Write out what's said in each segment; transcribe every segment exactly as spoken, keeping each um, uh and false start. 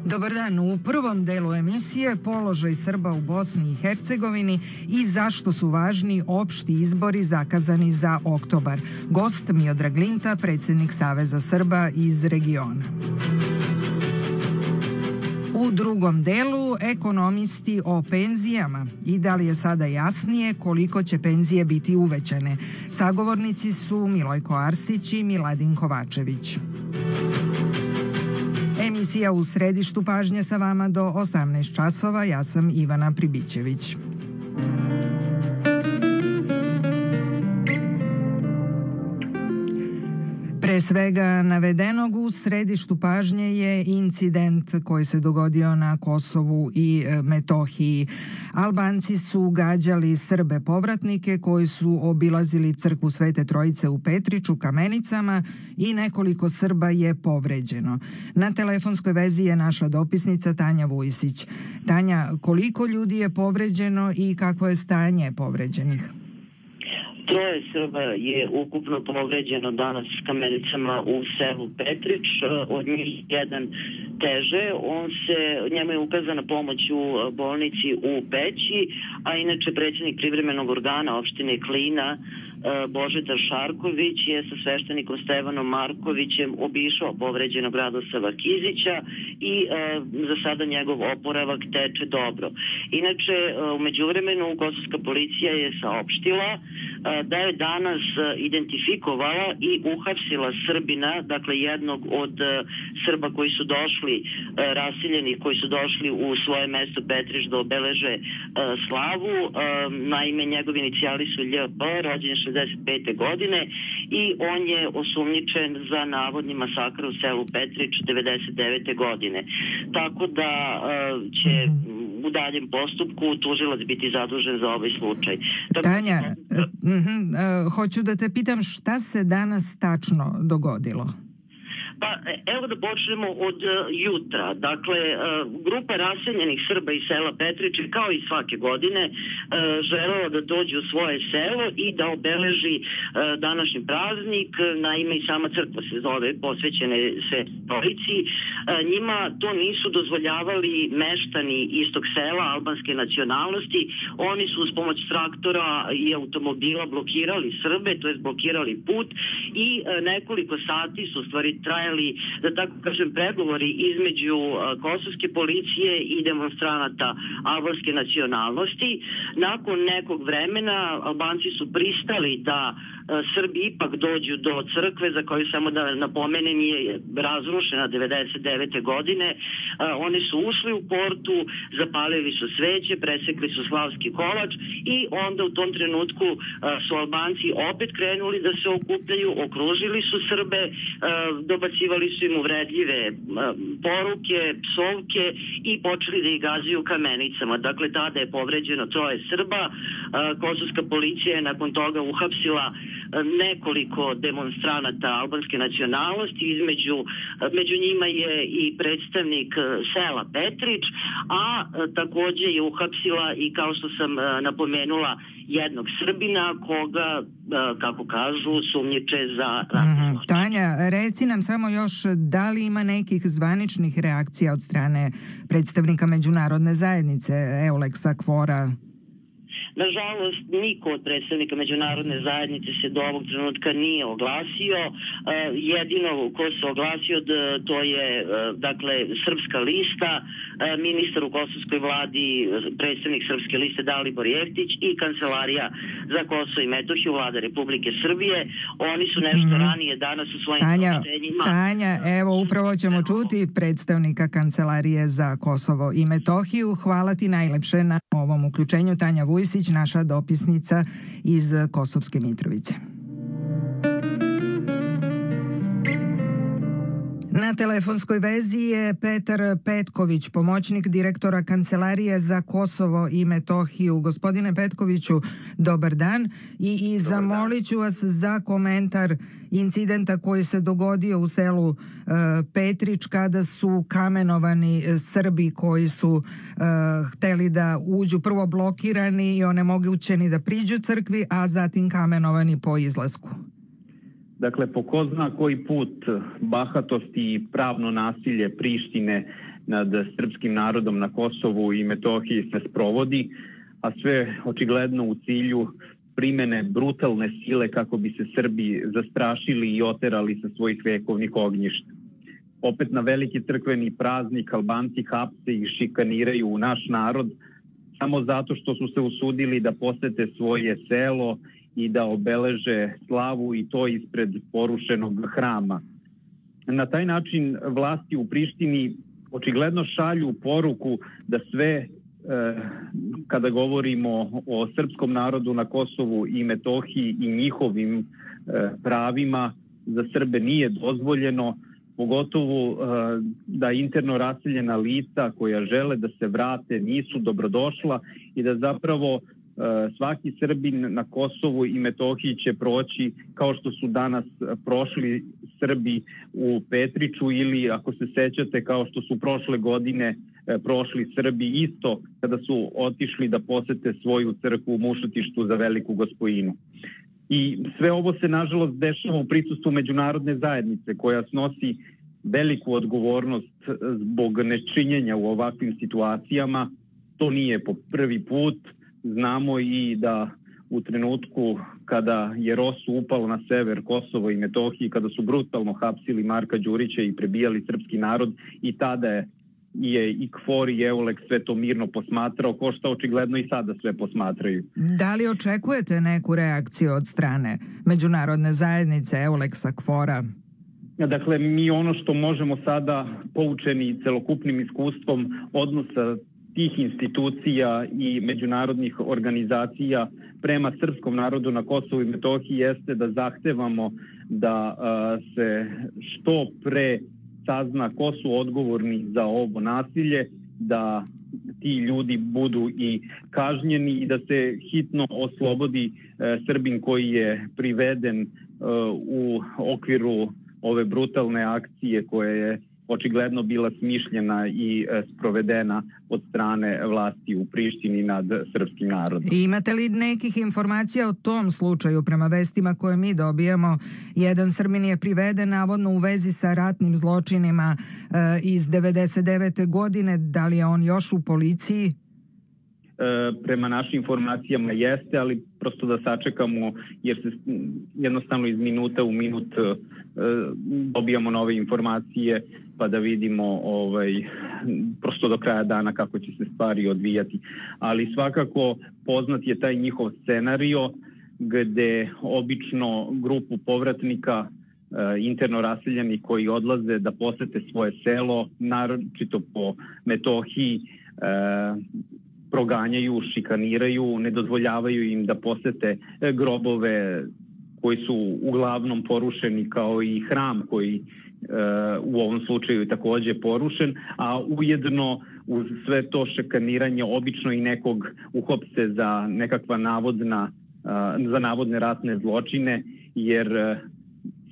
Dobar dan. U prvom delu emisije položaj Srba u Bosni i Hercegovini i zašto su važni opšti izbori zakazani za oktobar. Gost Miodrag Linta, predsjednik Saveza Srba iz regiona. U drugom delu ekonomisti o penzijama i da li je sada jasnije koliko će penzije biti uvećane. Sagovornici su Milojko Arsić i Miladin Kovačević. Emisija u središtu pažnje sa vama do osamnaest časova. Ja sam Ivana Pribićević. Pre svega navedenog u središtu pažnje je incident koji se dogodio na Kosovu i Metohiji. Albanci su gađali Srbe povratnike koji su obilazili crkvu Svete Trojice u Petriču Kamenicama i nekoliko Srba je povređeno. Na telefonskoj vezi je naša dopisnica Tanja Vujsić. Tanja, koliko ljudi je povređeno i kakvo je stanje povređenih? Troje Srba je ukupno povređeno danas s Kamenicama u selu Petrič, od njih jedan teže. On se, njemu je ukazana pomoć u bolnici u Peći, a inače predsjednik privremenog organa opštine Klina Božidar Šarković je sa sveštenikom Stevanom Markovićem obišao povređenog Radoslava Kizića i e, za sada njegov oporavak teče dobro. Inače, u međuvremenu kosovska policija je saopštila e, da je danas identifikovala i uhapsila Srbina, dakle jednog od e, Srba koji su došli, e, raseljeni koji su došli u svoje mesto Petrič da obeleže e, slavu. E, naime, njegovi inicijali su L P, rođen šezdeset pete godine i on je osumnjičen za navodni masakr u selu Petrič devedeset devete godine. Tako da uh, će u daljem postupku tužilac biti zadužen za ovaj slučaj. Tanja, uh, uh, hoću da te pitam šta se danas tačno dogodilo? Pa evo da počnemo od uh, jutra. Dakle, uh, grupa raseljenih Srba iz sela Petriče, kao i svake godine, uh, želela da dođe u svoje selo i da obeleži uh, današnji praznik. Naime, i sama crkva se zove, posvećene se Trojici. Uh, njima to nisu dozvoljavali meštani istog sela albanske nacionalnosti. Oni su uz pomoć traktora i automobila blokirali Srbe, to jest blokirali put i uh, nekoliko sati su u stvari trajali, da tako kažem, pregovori između uh, kosovske policije i demonstranata albanske nacionalnosti. Nakon nekog vremena Albanci su pristali da uh, Srbi ipak dođu do crkve, za koju samo da napomenem je razrušena devedeset devete godine. Uh, oni su ušli u portu, zapalili su sveće, presekli su slavski kolač i onda u tom trenutku uh, su Albanci opet krenuli da se okupljaju, okružili su Srbe, uh, dobacivali su im uvredljive poruke, psovke i počeli da ih gađaju kamenicama. Dakle, tada je povređeno troje Srba. Kosovska policija je nakon toga uhapsila nekoliko demonstranata albanske nacionalnosti, između, među njima je i predstavnik sela Petrič, a takođe je uhapsila i, kao što sam napomenula, jednog Srbina koga, kako kažu, sumnjiče za ratni zločin. Tanja, reci nam samo još da li ima nekih zvaničnih reakcija od strane predstavnika međunarodne zajednice, Euleksa, Kvora? Nažalost, niko od predstavnika međunarodne zajednice se do ovog trenutka nije oglasio. Jedino ko se oglasio to je, dakle, Srpska lista, ministar u kosovskoj vladi, predstavnik Srpske liste Dalibor Jeftić i Kancelarija za Kosovo i Metohiju, vlada Republike Srbije. Oni su nešto mm. ranije danas u svojim saopštenjima. Tanja, evo upravo ćemo čuti predstavnika Kancelarije za Kosovo i Metohiju. Hvala ti najlepše na ovom uključenju. Tanja Vujsić, naša dopisnica iz Kosovske Mitrovice. Na telefonskoj vezi je Petar Petković, pomoćnik direktora Kancelarije za Kosovo i Metohiju. Gospodine Petkoviću, dobar dan i, i zamolit ću vas za komentar incidenta koji se dogodio u selu e, Petrič kada su kamenovani Srbi koji su e, hteli da uđu, prvo blokirani i onemogućeni da priđu crkvi, a zatim kamenovani po izlasku. Dakle, po ko zna koji put bahatosti i pravno nasilje Prištine nad srpskim narodom na Kosovu i Metohiji se sprovodi, a sve očigledno u cilju primene brutalne sile kako bi se Srbi zastrašili i oterali sa svojih vekovnih ognjišta. Opet na veliki crkveni praznik Albanci hapse i šikaniraju u naš narod samo zato što su se usudili da posete svoje selo i da obeleže slavu i to ispred porušenog hrama. Na taj način vlasti u Prištini očigledno šalju poruku da sve kada govorimo o srpskom narodu na Kosovu i Metohiji i njihovim pravima za Srbe nije dozvoljeno, pogotovo da interno raseljena lica koja žele da se vrate nisu dobrodošla i da zapravo svaki Srbin na Kosovu i Metohiji će proći kao što su danas prošli Srbi u Petriću ili, ako se sećate, kao što su prošle godine prošli Srbi isto kada su otišli da posete svoju crkvu u Mušotištu za Veliku Gospojinu. I sve ovo se nažalost dešava u prisustvu međunarodne zajednice koja snosi veliku odgovornost zbog nečinjenja u ovakvim situacijama. To nije po prvi put. Znamo i da u trenutku kada je Rosu upalo na sever Kosova i Metohiji, kada su brutalno hapsili Marka Đurića i prebijali srpski narod, i tada je, je i KFOR i EULEX sve to mirno posmatrao, ko što očigledno i sada sve posmatraju. Da li očekujete neku reakciju od strane međunarodne zajednice, EULEX-a, KFOR-a? Dakle, mi ono što možemo sada, poučeni celokupnim iskustvom odnosa tih institucija i međunarodnih organizacija prema srpskom narodu na Kosovu i Metohiji, jeste da zahtevamo da a, se što pre sazna ko su odgovorni za ovo nasilje, da ti ljudi budu i kažnjeni i da se hitno oslobodi e, Srbin koji je priveden e, u okviru ove brutalne akcije koja je očigledno bila smišljena i sprovedena od strane vlasti u Prištini nad srpskim narodom. I imate li nekih informacija o tom slučaju? Prema vestima koje mi dobijamo, jedan Srbin je priveden navodno u vezi sa ratnim zločinima e, iz devedeset devete godine. Da li je on još u policiji? Prema našim informacijama jeste, ali prosto da sačekamo jer se jednostavno iz minuta u minut dobijamo nove informacije pa da vidimo ovaj, prosto do kraja dana kako će se stvari odvijati. Ali svakako poznat je taj njihov scenario gde obično grupu povratnika interno raseljeni koji odlaze da posete svoje selo, naročito po Metohiji, proganjaju, šikaniraju, ne dozvoljavaju im da posete grobove koji su uglavnom porušeni, kao i hram koji e, u ovom slučaju je takođe porušen, a ujedno uz sve to šikaniranje obično i nekog uhopse za nekakva navodna, e, za navodne ratne zločine, jer e,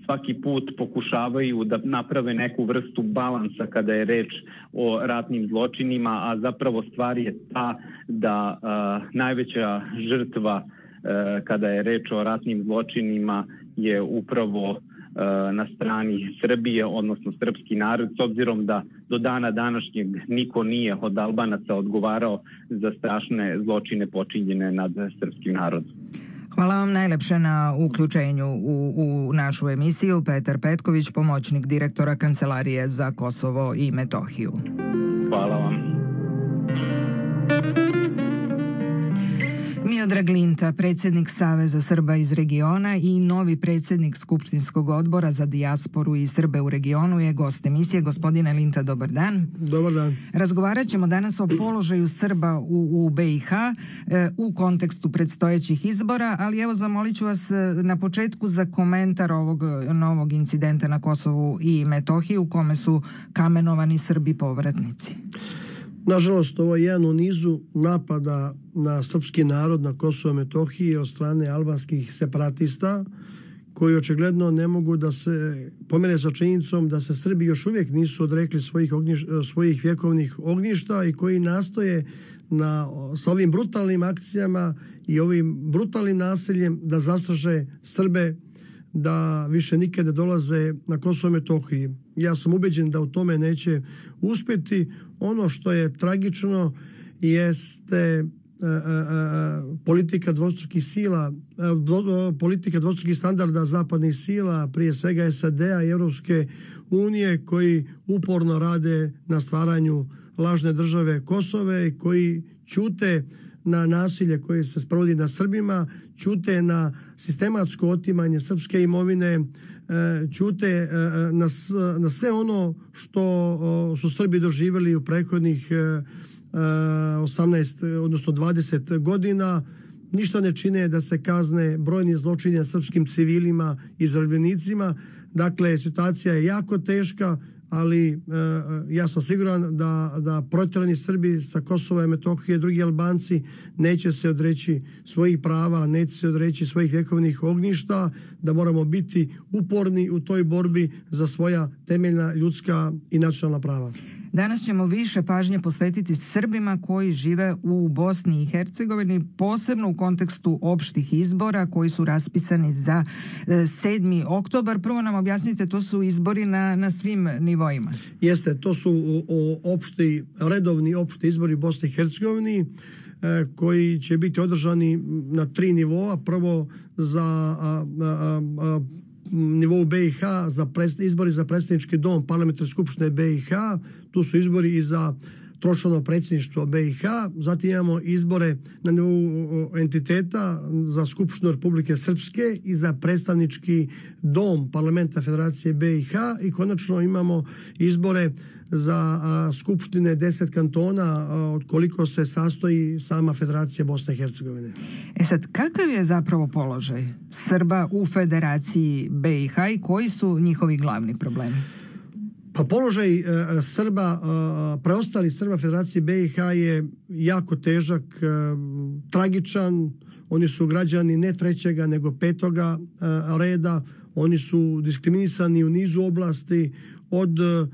svaki put pokušavaju da naprave neku vrstu balansa kada je reč o ratnim zločinima, a zapravo stvar je ta da a, najveća žrtva a, kada je reč o ratnim zločinima je upravo a, na strani Srbije, odnosno srpski narod, s obzirom da do dana današnjeg niko nije od Albanaca odgovarao za strašne zločine počinjene nad srpskim narodom. Hvala vam najlepše na uključenju u, u našu emisiju. Petar Petković, pomoćnik direktora Kancelarije za Kosovo i Metohiju. Hvala vam. Miodrag Linta, predsjednik Saveza Srba iz regiona i novi predsjednik Skupštinskog odbora za dijasporu i Srbe u regionu je gost emisije. Gospodine Linta, dobar dan. Dobar dan. Razgovarat ćemo danas o položaju Srba u, u B i H e, u kontekstu predstojećih izbora, ali evo zamolit ću vas na početku za komentar ovog novog incidenta na Kosovu i Metohiji u kome su kamenovani Srbi povratnici. Nažalost, ovo je jedan u nizu napada na srpski narod na Kosovo i Metohiji od strane albanskih separatista koji očigledno ne mogu da se pomere sa činjenicom da se Srbi još uvijek nisu odrekli svojih, ognjiš, svojih vjekovnih ognjišta i koji nastoje na, sa ovim brutalnim akcijama i ovim brutalnim nasiljem da zastraše Srbe da više nikada dolaze na Kosovo i Metohiji. Ja sam ubeđen da u tome neće uspjeti. Ono što je tragično jeste a, a, a, politika dvostrukih sila, a, dvo, politika dvostrukih standarda zapadnih sila, prije svega S A D-a i Europske unije, koji uporno rade na stvaranju lažne države Kosove i koji ćute na nasilje koje se sprovodi na Srbima, ćute na sistematsko otimanje srpske imovine, ćute na, na sve ono što su Srbi doživjeli u prethodnih osamnaest, odnosno dvadeset godina. Ništa ne čine da se kazne brojni zločini srpskim civilima i zarobljenicima. Dakle, situacija je jako teška, ali e, ja sam siguran da, da protjerani Srbi sa Kosova i Metohije, drugi Albanci, neće se odreći svojih prava, neće se odreći svojih vjekovnih ognjišta, da moramo biti uporni u toj borbi za svoja temeljna ljudska i nacionalna prava. Danas ćemo više pažnje posvetiti Srbima koji žive u Bosni i Hercegovini, posebno u kontekstu opštih izbora koji su raspisani za sedmi oktobar. Prvo nam objasnite, to su izbori na, na svim nivoima. Jeste, to su o, o opšti, redovni opšti izbori u Bosni i Hercegovini koji će biti održani na tri nivoa. Prvo za a, a, a, nivou B i H za pres, izbori za predsjednički dom Parlamentarne skupštine B i H, tu su izbori i za tročlano predsjedništvo B i H, zatim imamo izbore na nivou entiteta za Skupštinu Republike Srpske i za predstavnički dom Parlamenta Federacije B i H i konačno imamo izbore za a, skupštine deset kantona, a, od koliko se sastoji sama Federacija Bosne i Hercegovine. E sad, kakav je zapravo položaj Srba u Federaciji B i H i koji su njihovi glavni problemi? Pa položaj uh, Srba, uh, preostali Srba Federacije B i H je jako težak, uh, tragičan. Oni su građani ne trećega nego petoga uh, reda. Oni su diskriminisani u nizu oblasti, od uh,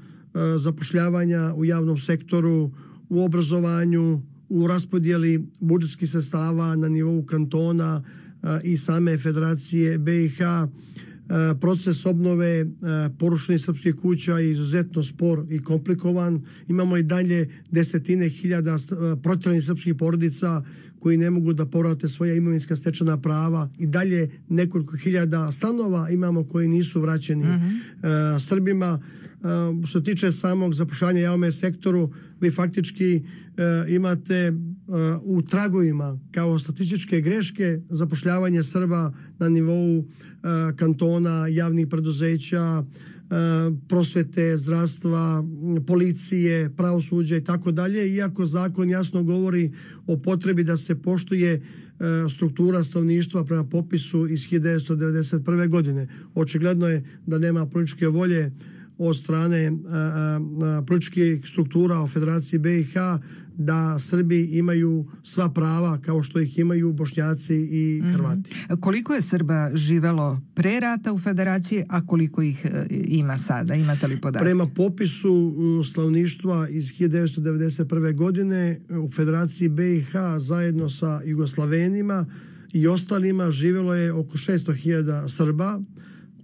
zapošljavanja u javnom sektoru, u obrazovanju, u raspodjeli budžetskih sredstava na nivou kantona uh, i same Federacije B i H. Proces obnove porušenih srpskih kuća je izuzetno spor i komplikovan. Imamo i dalje desetine hiljada protjeranih srpskih porodica koji ne mogu da povrate svoja imovinska stečena prava. I dalje nekoliko hiljada stanova imamo koji nisu vraćeni mm-hmm. uh, Srbima. Uh, što tiče samog zapošljavanja javnom sektoru, vi faktički uh, imate uh, u tragovima kao statističke greške zapošljavanje Srba na nivou uh, kantona, javnih preduzeća, uh, prosvete, zdravstva, policije, pravosuđa i tako dalje, iako zakon jasno govori o potrebi da se poštuje uh, struktura stanovništva prema popisu iz hiljadu devetsto devedeset prve. godine. Očigledno je da nema političke volje od strane političkih struktura u Federaciji B i H da Srbi imaju sva prava kao što ih imaju Bošnjaci i Hrvati. Mm-hmm. Koliko je Srba živelo pre rata u Federaciji, a koliko ih ima sada? Imate li podatke? Prema popisu stanovništva iz hiljadu devetsto devedeset prve. godine u Federaciji B i H zajedno sa Jugoslavenima i ostalima živjelo je oko šesto hiljada Srba,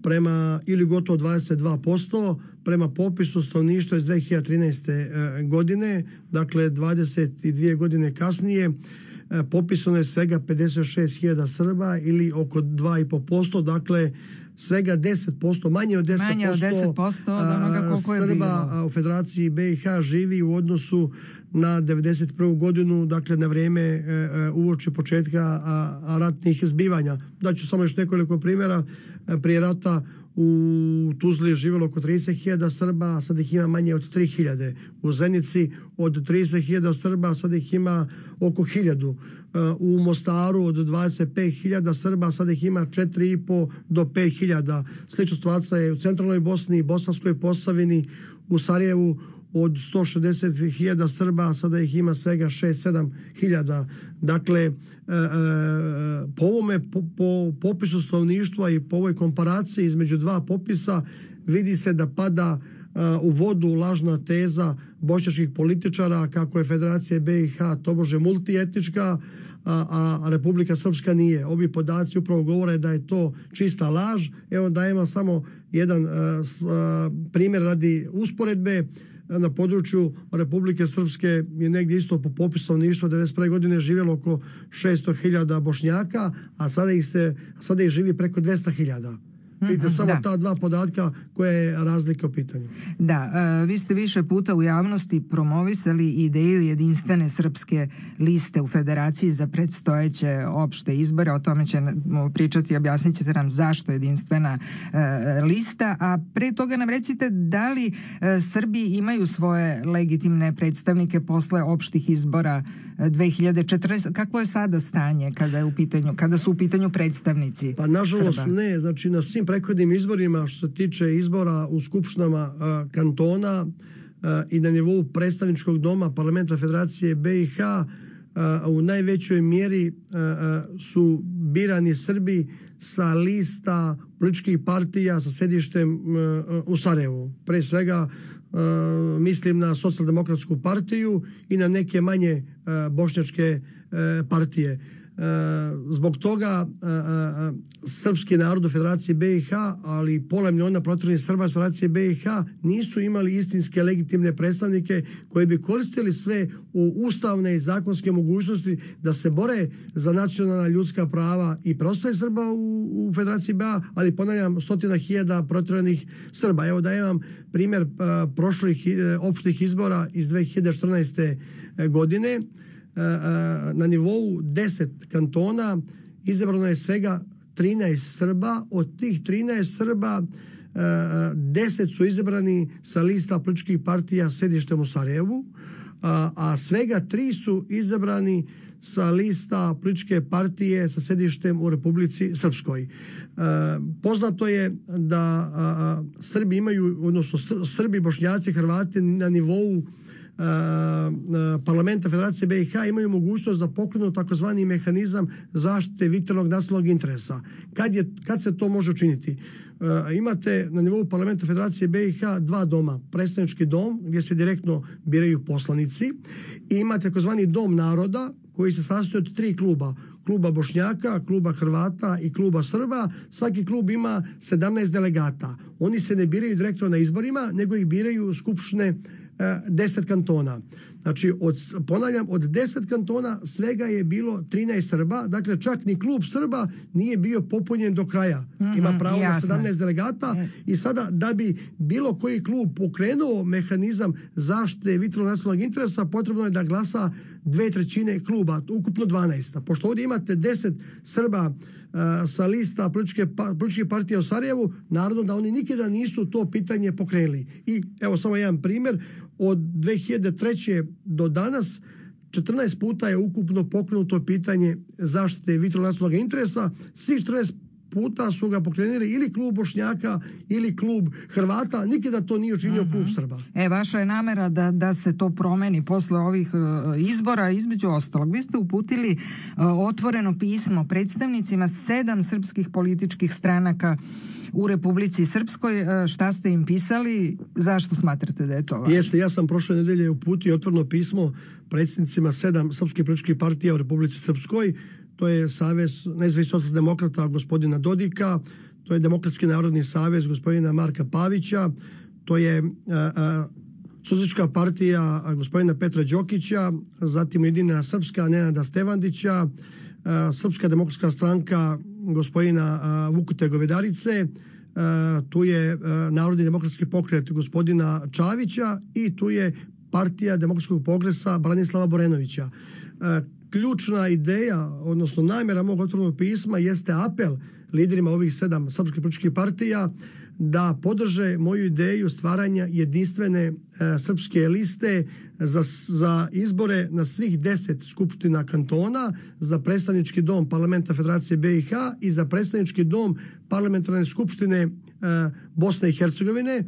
prema ili gotovo dvadeset dva posto prema popisu stanovništva iz dve hiljade trinaeste. godine, dakle dvadeset dvije godine kasnije, popisano je svega pedeset šest hiljada Srba ili oko dva i po posto, dakle svega deset posto, manje od deset posto, manje od deset posto od onoga koliko je Srba bilo. U Federaciji B i H živi u odnosu na devedeset prvu. godinu, dakle na vrijeme uoči početka ratnih zbivanja. Daću samo još nekoliko primjera. Prije rata u Tuzli je živjelo oko trideset hiljada Srba, a sad ih ima manje od tri hiljade. U Zenici od trideset hiljada Srba, a sad ih ima oko hiljadu. U Mostaru od dvadeset pet hiljada Srba, sad ih ima četiri i po do pet hiljada. Slična situacija je u centralnoj Bosni, Bosanskoj Posavini, u Sarajevu od sto šezdeset hiljada Srba, sada ih ima svega šest sedam hiljada. Dakle, e, e, po ovome po, po popisu stanovništva i po ovoj komparaciji između dva popisa vidi se da pada e, u vodu lažna teza bošnjačkih političara kako je Federacija B i H tobože multietnička, a, a Republika Srpska nije. Ovi podaci upravo govore da je to čista laž. Evo dajemo samo jedan a, s, a, primjer radi usporedbe. Na području Republike Srpske je negdje isto po popisu stanovništva devedeset prve godine živjelo oko šesto hiljada Bošnjaka, a sada ih se sada ih živi preko dvjesto hiljada. Vidite, samo da. ta dva podatka koja je razlika u pitanju. Da, e, vi ste više puta u javnosti promovisali ideju jedinstvene srpske liste u Federaciji za predstojeće opšte izbore. O tome ćemo pričati i objasnit ćete nam zašto jedinstvena e, lista. A pre toga nam recite da li e, Srbi imaju svoje legitimne predstavnike posle opštih izbora dve hiljade četrnaeste. Kakvo je sada stanje kada je u pitanju, kada su u pitanju predstavnici Pa nažalost Srba? ne, znači na svim prethodnim izborima što se tiče izbora u skupštinama a, kantona a, i na nivou predstavničkog doma parlamenta Federacije B i H a, u najvećoj mjeri a, a, su birani Srbi sa lista političkih partija sa sedištem a, u Sarajevu. Pre svega a, mislim na Socijaldemokratsku partiju i na neke manje a, bošnjačke a, partije. Zbog toga srpski narod u Federaciji B i H, ali pola miliona proteranih Srba u Federaciji B i H nisu imali istinske legitimne predstavnike koji bi koristili sve u ustavne i zakonske mogućnosti da se bore za nacionalna ljudska prava i preostale Srba u, u Federaciji B i H, ali ponavljam stotina hiljada proteranih Srba. Evo da imam primjer uh, prošlih uh, opštih izbora iz dve hiljade četrnaeste. godine. Na nivou deset kantona izabrano je svega trinaest Srba. Od tih trinaest Srba deset su izabrani sa lista političkih partija sedištem u Sarajevu, a, a svega tri su izabrani sa lista političke partije sa sedištem u Republici Srpskoj. A, poznato je da a, a, Srbi imaju, odnosno Srbi, Bošnjaci, Hrvati na nivou Uh, uh, parlamenta Federacije B i H imaju mogućnost da pokrenu takozvani mehanizam zaštite vitalnog nacionalnog interesa. Kad, je, kad se to može učiniti? Uh, imate na nivou parlamenta Federacije B i H dva doma. Predstavnički dom gdje se direktno biraju poslanici i imate takozvani dom naroda koji se sastoji od tri kluba. Kluba Bošnjaka, kluba Hrvata i kluba Srba. Svaki klub ima sedamnaest delegata. Oni se ne biraju direktno na izborima, nego ih biraju skupštine deset kantona. Znači, od, ponavljam, od deset kantona svega je bilo trinaest Srba, dakle čak ni klub Srba nije bio popunjen do kraja. Mm-hmm, ima pravo jasno. Na sedamnaest delegata mm. i sada da bi bilo koji klub pokrenuo mehanizam zaštite vitalnog nacionalnog interesa, potrebno je da glasa dve trećine kluba, ukupno dvanaest. Pošto ovdje imate deset Srba Uh, sa lista političke, pa, političke partije u Sarajevu, naravno da oni nikada nisu to pitanje pokrenuli. I evo samo jedan primjer, od dve hiljade treće. do danas četrnaest puta je ukupno pokrenuto pitanje zaštite vitalnog nacionalnog interesa. Svih četrnaest puta su ga pokrenuli ili klub Bošnjaka ili klub Hrvata, nikada to nije učinio uh-huh. klub Srba. E, vaša je namera da, da se to promeni posle ovih uh, izbora, između ostalog. Vi ste uputili uh, otvoreno pismo predstavnicima sedam srpskih političkih stranaka u Republici Srpskoj. Uh, šta ste im pisali? Zašto smatrate da je to važno? Jeste, ja sam prošle nedelje uputio otvoreno pismo predsjednicima sedam srpskih političkih partija u Republici Srpskoj. To je Savez nezavisnih socijaldemokrata gospodina Dodika, to je Demokratski narodni savez gospodina Marka Pavića, to je Socijalistička partija a, gospodina Petra Đokića, zatim Ujedinjena Srpska Nenada Stevandića, a, Srpska demokratska stranka gospodina a, Vukute Govedarice, a, tu je a, Narodni demokratski pokret gospodina Čavića i tu je Partija demokratskog progresa Branislava Borenovića. A, Ključna ideja, odnosno namjera mog otvorenog pisma jeste apel liderima ovih sedam srpskih političkih partija da podrže moju ideju stvaranja jedinstvene e, srpske liste za, za izbore na svih deset skupština kantona, za predstavnički dom parlamenta Federacije B i H i za predstavnički dom parlamentarne skupštine e, Bosne i Hercegovine. E,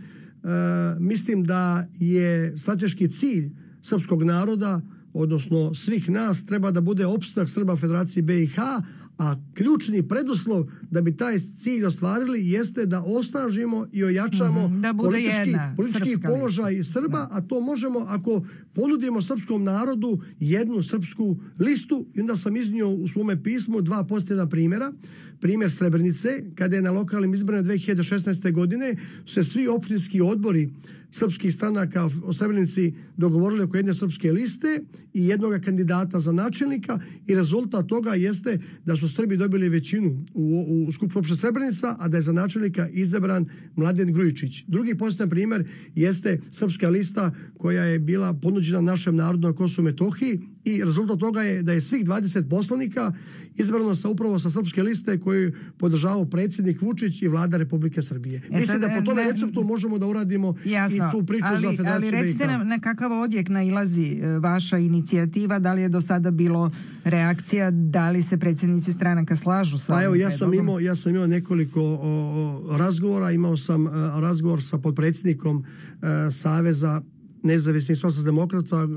mislim da je strateški cilj srpskog naroda, odnosno svih nas, treba da bude opstanak Srba Federacije B i H, A ključni preduslov da bi taj cilj ostvarili jeste da osnažimo i ojačamo mm-hmm, da bude politički, jedna politički položaj lista. Srba, da. A to možemo ako ponudimo srpskom narodu jednu srpsku listu. I onda sam iznio u svome pismu dva pozitivna primjera. Primjer Srebrenice, kada je na lokalnim izborima dve hiljade šesnaeste. godine se svi opštinski odbori srpskih stranaka o Srebrenici dogovorili oko jedne srpske liste i jednog kandidata za načelnika i rezultat toga jeste da su Srbi dobili većinu u, u skupu opštine Srebrenica, a da je za načelnika izabran Mladen Grujičić. Drugi pozitivan primjer jeste srpska lista koja je bila ponuđena našem narodu na Kosovu i Metohiji i rezultat toga je da je svih dvadeset poslanika izabrano sa upravo sa srpske liste koju podržavao predsjednik Vučić i vlada Republike Srbije. E, Mislim da po tome ne, receptu možemo da uradimo jasno, i tu priču ali, za Federaciju ali recite B i H. nam na kakav odjek nailazi vaša inicijativa, da li je do sada bilo reakcija, da li se predsjednici stranaka slažu sa pa evo, ovim ja sam imao, ja sam imao nekoliko o, o, razgovora, imao sam a, razgovor sa potpredsjednikom a, Saveza nezavisnih socijaldemokrata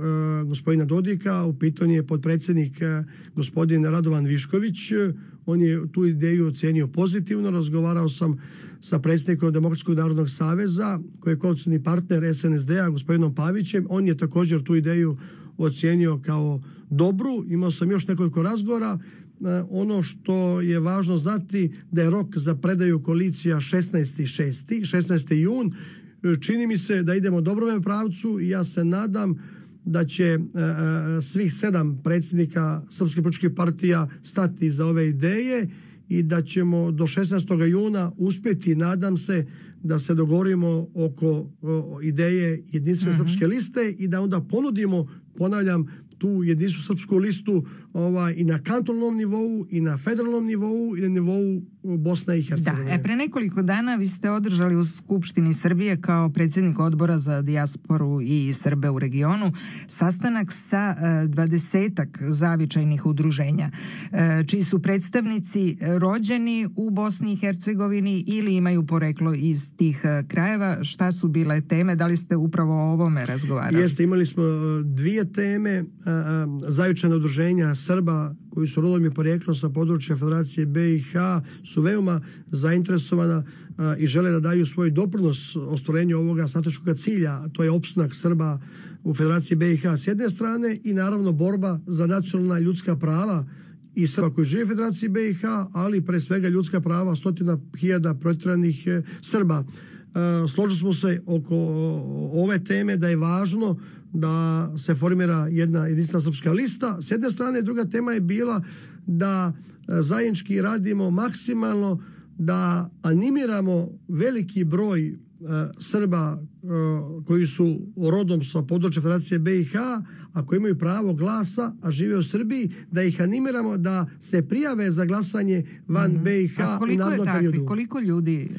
gospodina Dodika, u pitanju je potpredsjednik gospodin Radovan Višković. On je tu ideju ocenio pozitivno. Razgovarao sam sa predsjednikom Demokratskog narodnog saveza koji je koalicijni partner S N S D-a gospodinom Pavićem. On je također tu ideju ocenio kao dobru. Imao sam još nekoliko razgovora. Ono što je važno znati da je rok za predaju koalicija šesnaesti šesti, šesnaesti jun. Čini mi se da idemo u dobrom pravcu i ja se nadam da će uh, svih sedam predsjednika srpskih političkih partija stati za ove ideje i da ćemo do šesnaestog juna uspjeti, nadam se, da se dogovorimo oko o, ideje jedinstvene uh-huh. srpske liste i da onda ponudimo, ponavljam, tu jedinstvenu srpsku listu ovaj, i na kantonalnom nivou, i na federalnom nivou, i na nivou Bosne i Hercegovine. Da, e, pre nekoliko dana vi ste održali u Skupštini Srbije kao predsjednik odbora za dijasporu i Srbe u regionu sastanak sa dvadesetak zavičajnih udruženja, e, čiji su predstavnici rođeni u Bosni i Hercegovini ili imaju poreklo iz tih krajeva. Šta su bile teme? Da li ste upravo o ovome razgovarali? Jeste, imali smo dvije teme. Zavičajna udruženja Srba koji su rodom i poreklom sa područja Federacije B i H su veoma zainteresovana a, i žele da daju svoj doprinos ostvarenju ovoga strateškog cilja, a to je opstanak Srba u Federaciji B i H s jedne strane i naravno borba za nacionalna ljudska prava i Srba koji žive u Federaciji B i H, ali pre svega ljudska prava stotina hiljada protjeranih e, Srba. E, složili smo se oko ove teme da je važno da se formira jedna jedinstvena srpska lista. S jedne strane, druga tema je bila da zajednički radimo maksimalno da animiramo veliki broj Srba koji su rodom sa područja Federacije B i H, a koji imaju pravo glasa, a žive u Srbiji, da ih animiramo da se prijave za glasanje van mm-hmm. B i H u narednom periodu. Koliko ljudi? Uh,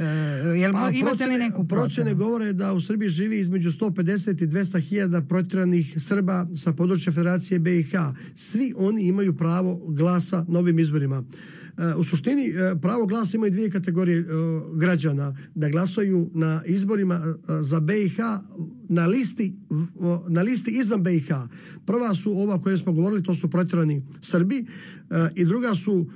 jel pa, imate procene, li neku procenu? Procene govore da u Srbiji živi između sto pedeset i dvesta hiljada protjeranih Srba sa područja Federacije B i H. Svi oni imaju pravo glasa na ovim izborima. U suštini pravo glasa imaju dvije kategorije građana, da glasaju na izborima za B i H na listi, na listi izvan B i H. Prva su ova koje smo govorili, to su protjerani Srbi, i druga su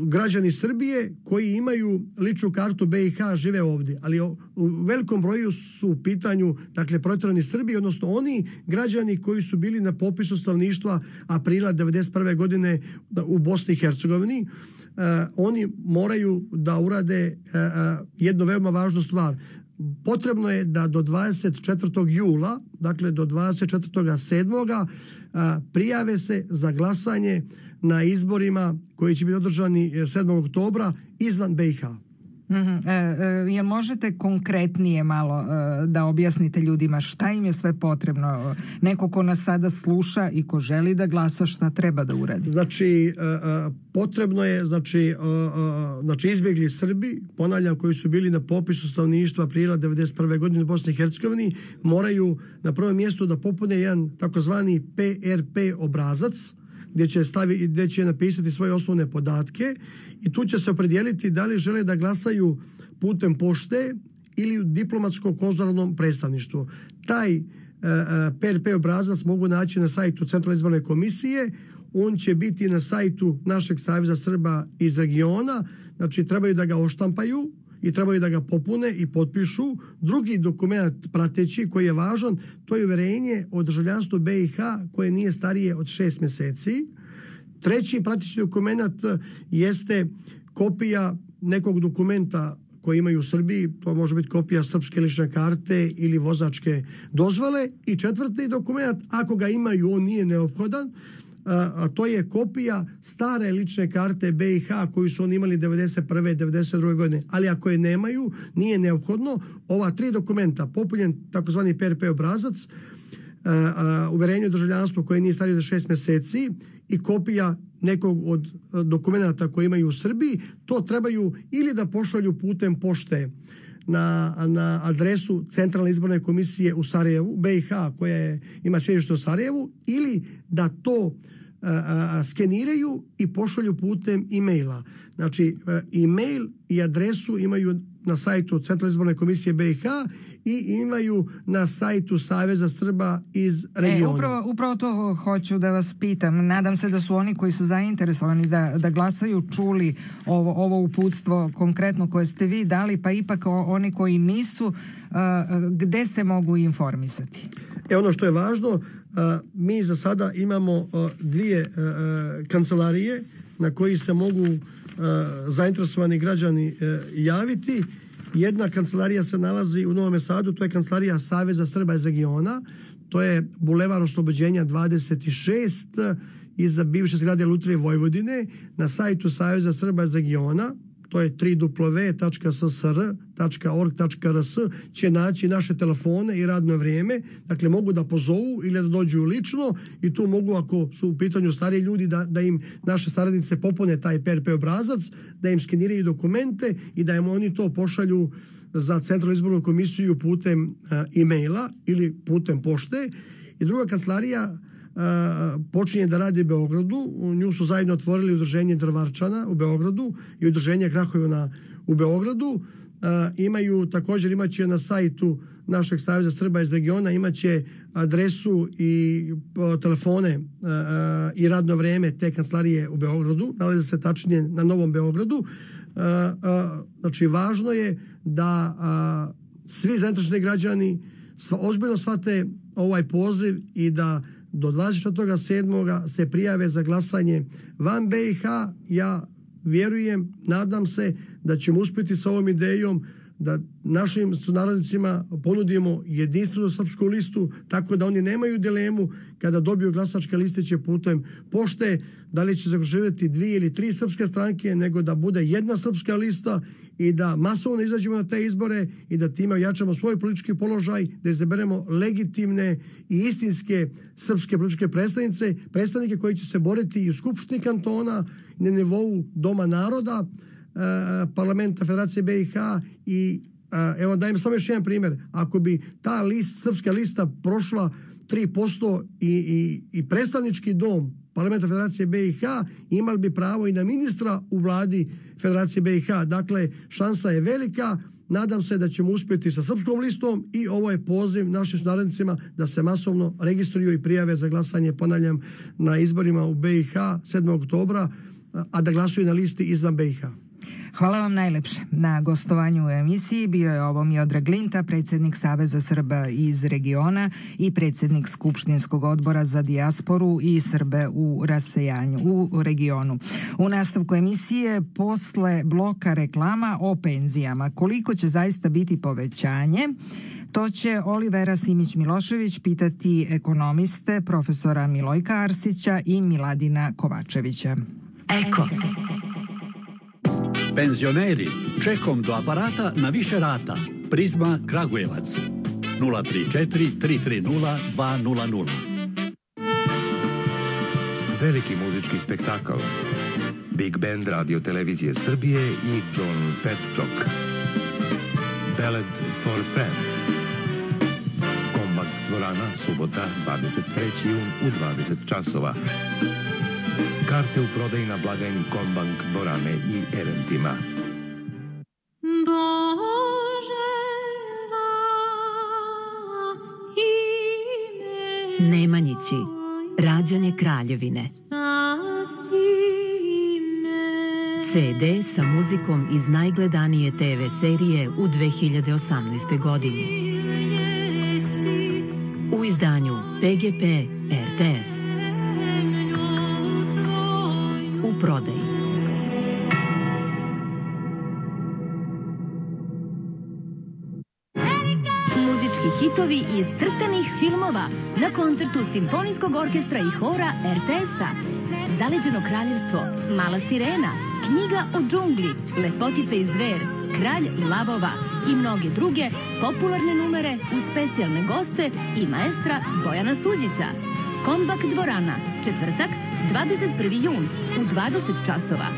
građani Srbije koji imaju ličnu kartu B i H, žive ovdje, ali u velikom broju su u pitanju, dakle, protjerani Srbi, odnosno oni građani koji su bili na popisu stanovništva aprila devedeset prve godine u Bosni i Hercegovini. Uh, oni moraju da urade uh, uh, jednu veoma važnu stvar. Potrebno je da do dvadeset četvrtog jula, dakle do dvadeset četvrtog sedmoga uh, prijave se za glasanje na izborima koji će biti održani sedmog oktobra izvan B i H. Mm-hmm. E, e, jel možete konkretnije malo e, da objasnite ljudima šta im je sve potrebno? Neko ko nas sada sluša i ko želi da glasa, šta treba da uradi? Znači, e, e, potrebno je, znači, e, e, znači izbjegli Srbi, ponavljam, koji su bili na popisu stanovništva aprila devedeset prve godine u Bosni i Hercegovini, moraju na prvom mjestu da popune jedan takozvani P R P obrazac, gdje će, stavi, gdje će napisati svoje osnovne podatke i tu će se opredijeliti da li žele da glasaju putem pošte ili u diplomatsko-konzularnom predstavništvu. Taj uh, P R P obrazac mogu naći na sajtu Centralne izborne komisije. on će biti na sajtu našeg Saveza Srba iz regiona, znači trebaju da ga oštampaju i trebaju da ga popune i potpišu. Drugi dokument prateći koji je važan, to je uverenje o državljanstvu B i H koje nije starije od šest mjeseci. Treći prateći dokument jeste kopija nekog dokumenta koji imaju u Srbiji, to može biti kopija srpske lične karte ili vozačke dozvole. I četvrti dokument, ako ga imaju, on nije neophodan, a to je kopija stare lične karte B i H koju su oni imali devedeset prve. devedeset druge godine. Ali ako je nemaju, nije neophodno. Ova tri dokumenta, popunjen takozvani P R P obrazac, uverenje o državljanstvu koje nije starije od šest mjeseci i kopija nekog od dokumenta koje imaju u Srbiji, to trebaju ili da pošalju putem pošte na, na adresu Centralne izborne komisije u Sarajevu, B i H koja je, ima sjedište u Sarajevu, ili da to a, a, skeniraju i pošalju putem e-maila. Znači, e-mail i adresu imaju na sajtu Centralne izborne komisije B i H i imaju na sajtu Saveza Srba iz regiona. E, upravo, upravo to hoću da vas pitam. Nadam se da su oni koji su zainteresovani da, da glasaju čuli ovo, ovo uputstvo konkretno koje ste vi dali, pa ipak oni koji nisu, uh, gde se mogu informisati? E, ono što je važno, uh, mi za sada imamo uh, dvije uh, kancelarije na koji se mogu uh, zainteresovani građani uh, javiti. Jedna kancelarija se nalazi u Novom Sadu, to je kancelarija Saveza Srba iz regiona, to je Bulevar Oslobođenja dvadeset šest iza bivše zgrade Lutrije Vojvodine. Na sajtu Saveza Srba iz regiona, to je w w w tačka s s r tačka org tačka r s, će naći naše telefone i radno vrijeme. Dakle, mogu da pozovu ili da dođu lično i tu mogu, ako su u pitanju stariji ljudi, da, da im naše saradnice popune taj P R P obrazac, da im skeniraju dokumente i da im oni to pošalju za Centralnu izbornu komisiju putem uh, e-maila ili putem pošte. I druga kancelarija Uh, počinje da radi u Beogradu. U nju su zajedno otvorili udruženje Drvarčana u Beogradu i udruženje Krahojuna u Beogradu. Uh, imaju, također imaće na sajtu našeg Saveza Srba iz regiona, imaće adresu i uh, telefone uh, i radno vrijeme te kancelarije u Beogradu. Nalaze se tačnije na Novom Beogradu. Uh, uh, znači, važno je da uh, svi zainteresovani građani sva, ozbiljno shvate ovaj poziv i da do dvadeset četvrtog sedmog se prijave za glasanje van B i H. Ja vjerujem, nadam se da ćemo uspjeti sa ovom idejom da našim sunarodnicima ponudimo jedinstvenu srpsku listu, tako da oni nemaju dilemu kada dobiju glasačke listiće putem pošte, da li će zaživjeti dvije ili tri srpske stranke, nego da bude jedna srpska lista i da masovno izađemo na te izbore i da time ojačamo svoj politički položaj, da izaberemo legitimne i istinske srpske političke predstavnice, predstavnike koji će se boriti i u Skupštini kantona, na nivou Doma naroda, parlamenta Federacije B i H i evo dajem samo još jedan primjer. Ako bi ta list, srpska lista prošla tri posto i, i, i predstavnički dom parlamenta Federacije B i H, imali bi pravo i na ministra u vladi Federacije B i H. Dakle, šansa je velika. Nadam se da ćemo uspjeti sa srpskom listom i ovo je poziv našim sunarodnicima da se masovno registruju i prijave za glasanje, ponavljam, na izborima u B i H sedmog oktobra, a da glasuju na listi izvan B i H. Hvala vam najlepše na gostovanju u emisiji. Bio je ovo Miodrag Linta, predsjednik Saveza Srba iz regiona i predsjednik Skupštinskog odbora za dijasporu i Srbe u rasejanju u regionu. U nastavku emisije posle bloka reklama o penzijama. Koliko će zaista biti povećanje? To će Olivera Simić-Milošević pitati ekonomiste profesora Milojka Arsića i Miladina Kovačevića. Eko. Penzioneri, čekom do aparata na više rata. Prizma Kragujevac. nula tri četiri tri tri nula dva nula nula. Veliki muzički spektakl. Big Band Radio Televizije Srbije i John Petčok. Ballad for Fred. Kombakt dvorana, subota, dvadeset treći jun u dvadeset časova. Karte u prodaji na blagajni Kombank dvorane i eventima. Nemanjići, rađanje Kraljevine. ce de sa muzikom iz najgledanije te ve serije u dve hiljade osamnaestoj godini. U izdanju pe ge pe er te es. U prodaji. Muzički hitovi iz crtanih filmova na koncertu Simfonijskog orkestra i hora er te es-a. Zaleđeno kraljevstvo, Mala sirena, Knjiga o džungli, Lepotica i zver, Kralj lavova i mnoge druge popularne numere uz specijalne goste i maestra Bojana Suđića. Kombak dvorana, četvrtak, dvadeset prvi jun u dvadeset časova.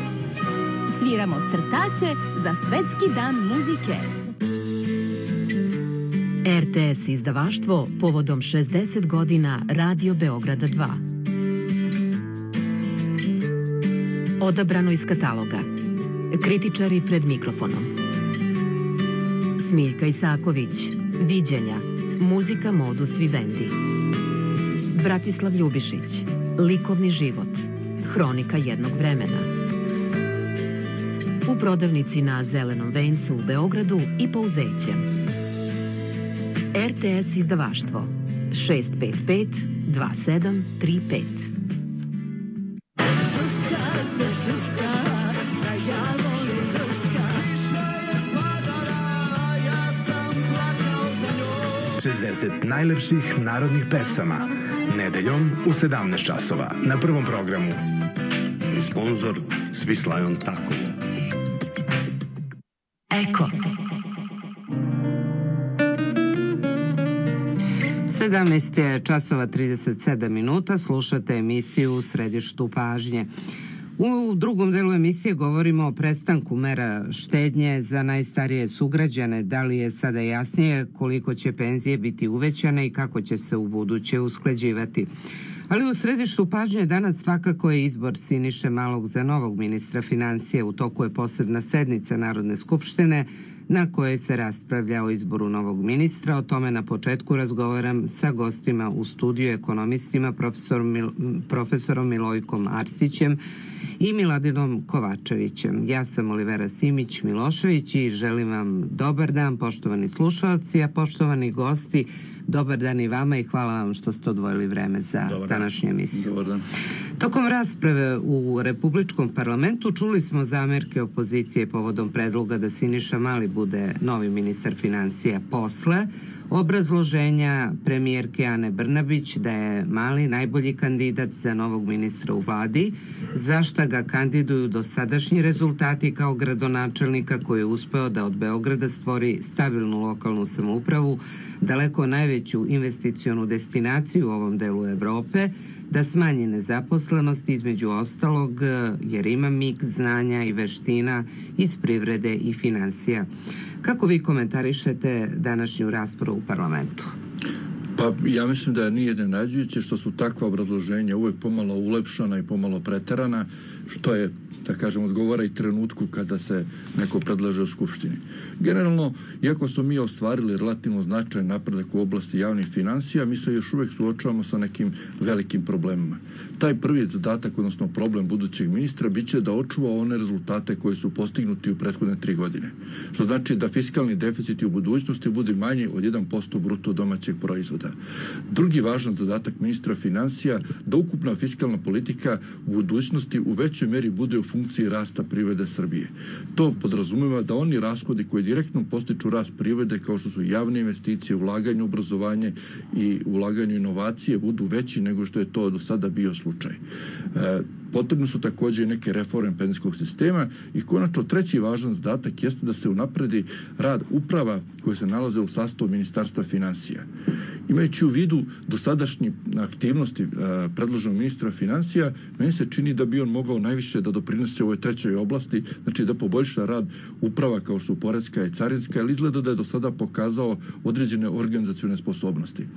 Sviramo crtaće za Svetski dan muzike. er te es izdavaštvo povodom šezdeset godina Radio Beograda dva. Odabrano iz kataloga. Kritičari pred mikrofonom. Smiljka Isaković. Viđenja. Muzika Modus Vivendi. Bratislav Ljubišić. Likovni život. Hronika jednog vremena. U prodavnici na Zelenom vencu u Beogradu i Pouzećem. er te es izdavaštvo šest pet pet dva sedam tri pet. šezdeset najlepših narodnih pesama. Nedeljom u sedamnaest časova na Prvom programu. Sponzor Svislajon Tako. Eko. sedamnaest časova trideset sedam minuta, slušate emisiju U središtu pažnje. U drugom delu emisije govorimo o prestanku mera štednje za najstarije sugrađane. Da li je sada jasnije koliko će penzije biti uvećane i kako će se u buduće usklađivati? Ali u središtu pažnje danas svakako je izbor Siniše Malog za novog ministra financija. U toku je posebna sednica Narodne skupštine na kojoj se raspravlja o izboru novog ministra. O tome na početku razgovaram sa gostima u studiju, ekonomistima, profesorom, Mil, profesorom Milojkom Arsićem i Miladinom Kovačevićem. Ja sam Olivera Simić Milošević i želim vam dobar dan, poštovani slušalci, a poštovani gosti, dobar dan i vama i hvala vam što ste odvojili vreme za dobar današnju emisiju. Dobar dan. Tokom rasprave u Republičkom parlamentu čuli smo zamerke opozicije povodom predloga da Siniša Mali bude novi ministar financija posle obrazloženja premijerke Ane Brnabić da je Mali najbolji kandidat za novog ministra u vladi, za šta ga kandiduju dosadašnji rezultati kao gradonačelnika koji je uspeo da od Beograda stvori stabilnu lokalnu samoupravu, daleko najveću investicionu destinaciju u ovom delu Evrope, da smanji nezaposlenost između ostalog jer ima miks znanja i veština iz privrede i financija. Kako vi komentarišete današnju raspravu u parlamentu? Pa ja mislim da nije iznenađujuće što su takva obrazloženja uvek pomalo ulepšana i pomalo preterana, što je, da kažem, odgovara i trenutku kada se neko predlaže u Skupštini. Generalno, iako smo mi ostvarili relativno značajan napredak u oblasti javnih financija, mi se još uvek suočavamo sa nekim velikim problemima. Taj prvi zadatak, odnosno problem budućeg ministra, bit će da očuva one rezultate koji su postignuti u prethodne tri godine. Što znači da fiskalni deficiti u budućnosti bude manji od jedan posto bruto domaćeg proizvoda. Drugi važan zadatak ministra financija, da ukupna fiskalna politika u budućnosti u većoj meri bude u funkciji rasta privrede Srbije. To podrazumeva da oni rashodi koji direktno postiču rast privrede, kao što su javne investicije, ulaganje u obrazovanje i ulaganje u inovacije, budu veći nego što je to do sada bio slučaj. E, Potrebno su također neke reforme penzijskog sistema i konačno treći važan zadatak jeste da se unapredi rad uprava koje se nalaze u sastavu Ministarstva financija. Imajući u vidu dosadašnje aktivnosti predloženog ministra financija, meni se čini da bi on mogao najviše da doprinese u ovoj trećoj oblasti, znači da poboljša rad uprava kao što su poreska i carinska, ali izgleda da je do sada pokazao određene organizacione sposobnosti.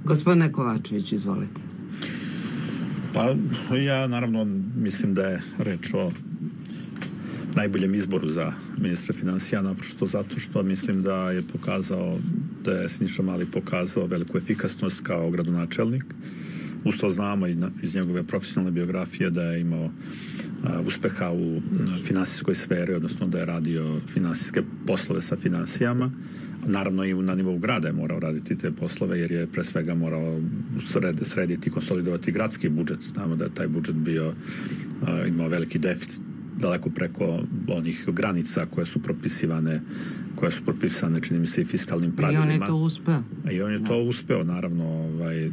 Gospodine Kovačević, izvolite. Pa ja naravno mislim da je reč o najboljem izboru za ministra financija, naprosto zato što mislim da je pokazao, da je Siniša Mali pokazao veliku efikasnost kao gradonačelnik. Uz to znamo iz njegove profesionalne biografije da je imao uspeha u finansijskoj sferi, odnosno da je radio finansijske poslove sa finansijama. Naravno i na nivou grada je morao raditi te poslove, jer je pre svega morao sred, srediti i konsolidovati gradski budžet. Znamo da je taj budžet bio, imao veliki deficit, daleko preko onih granica koje su propisivane koje su propisane, čini mi se, i fiskalnim pravilima. I on je to uspeo. I on je da. to uspeo, naravno, ovaj,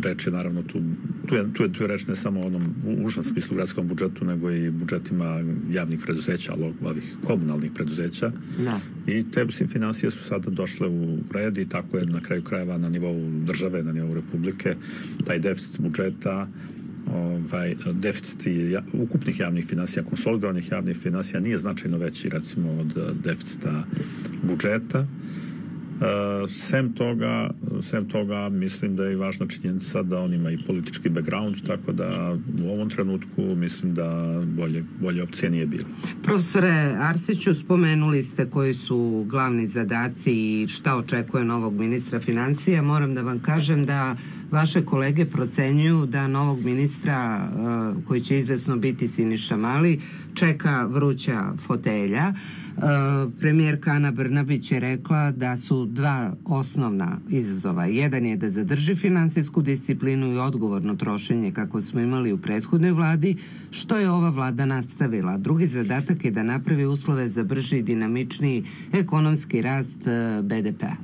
reč je naravno tu, tu je, tu je, tu je reč ne samo o onom užem smislu gradskom budžetu, nego i budžetima javnih preduzeća, ovih komunalnih preduzeća. Da. I te financije su sada došle u red i tako je na kraju krajeva na nivou države, na nivou Republike, taj deficit budžeta, ovaj, deficit ukupnih javnih finansija, konsolidovanih javnih finansija nije značajno veći, recimo, od deficita budžeta. Uh, sem toga, sem toga mislim da je i važna činjenica da on ima i politički background, tako da u ovom trenutku mislim da bolje, bolje opcije nije bilo. Profesore Arsiću, spomenuli ste koji su glavni zadaci i šta očekuje novog ministra financija. Moram da vam kažem da vaše kolege procenjuju da novog ministra, uh, koji će izvesno biti Siniša Mali, čeka vruća fotelja. Uh, premijerka Ana Brnabić je rekla da su dva osnovna izazova. Jedan je da zadrži finansijsku disciplinu i odgovorno trošenje kako smo imali u prethodnoj vladi, što je ova vlada nastavila. Drugi zadatak je da napravi uslove za brži i dinamičniji ekonomski rast uh, be de pea.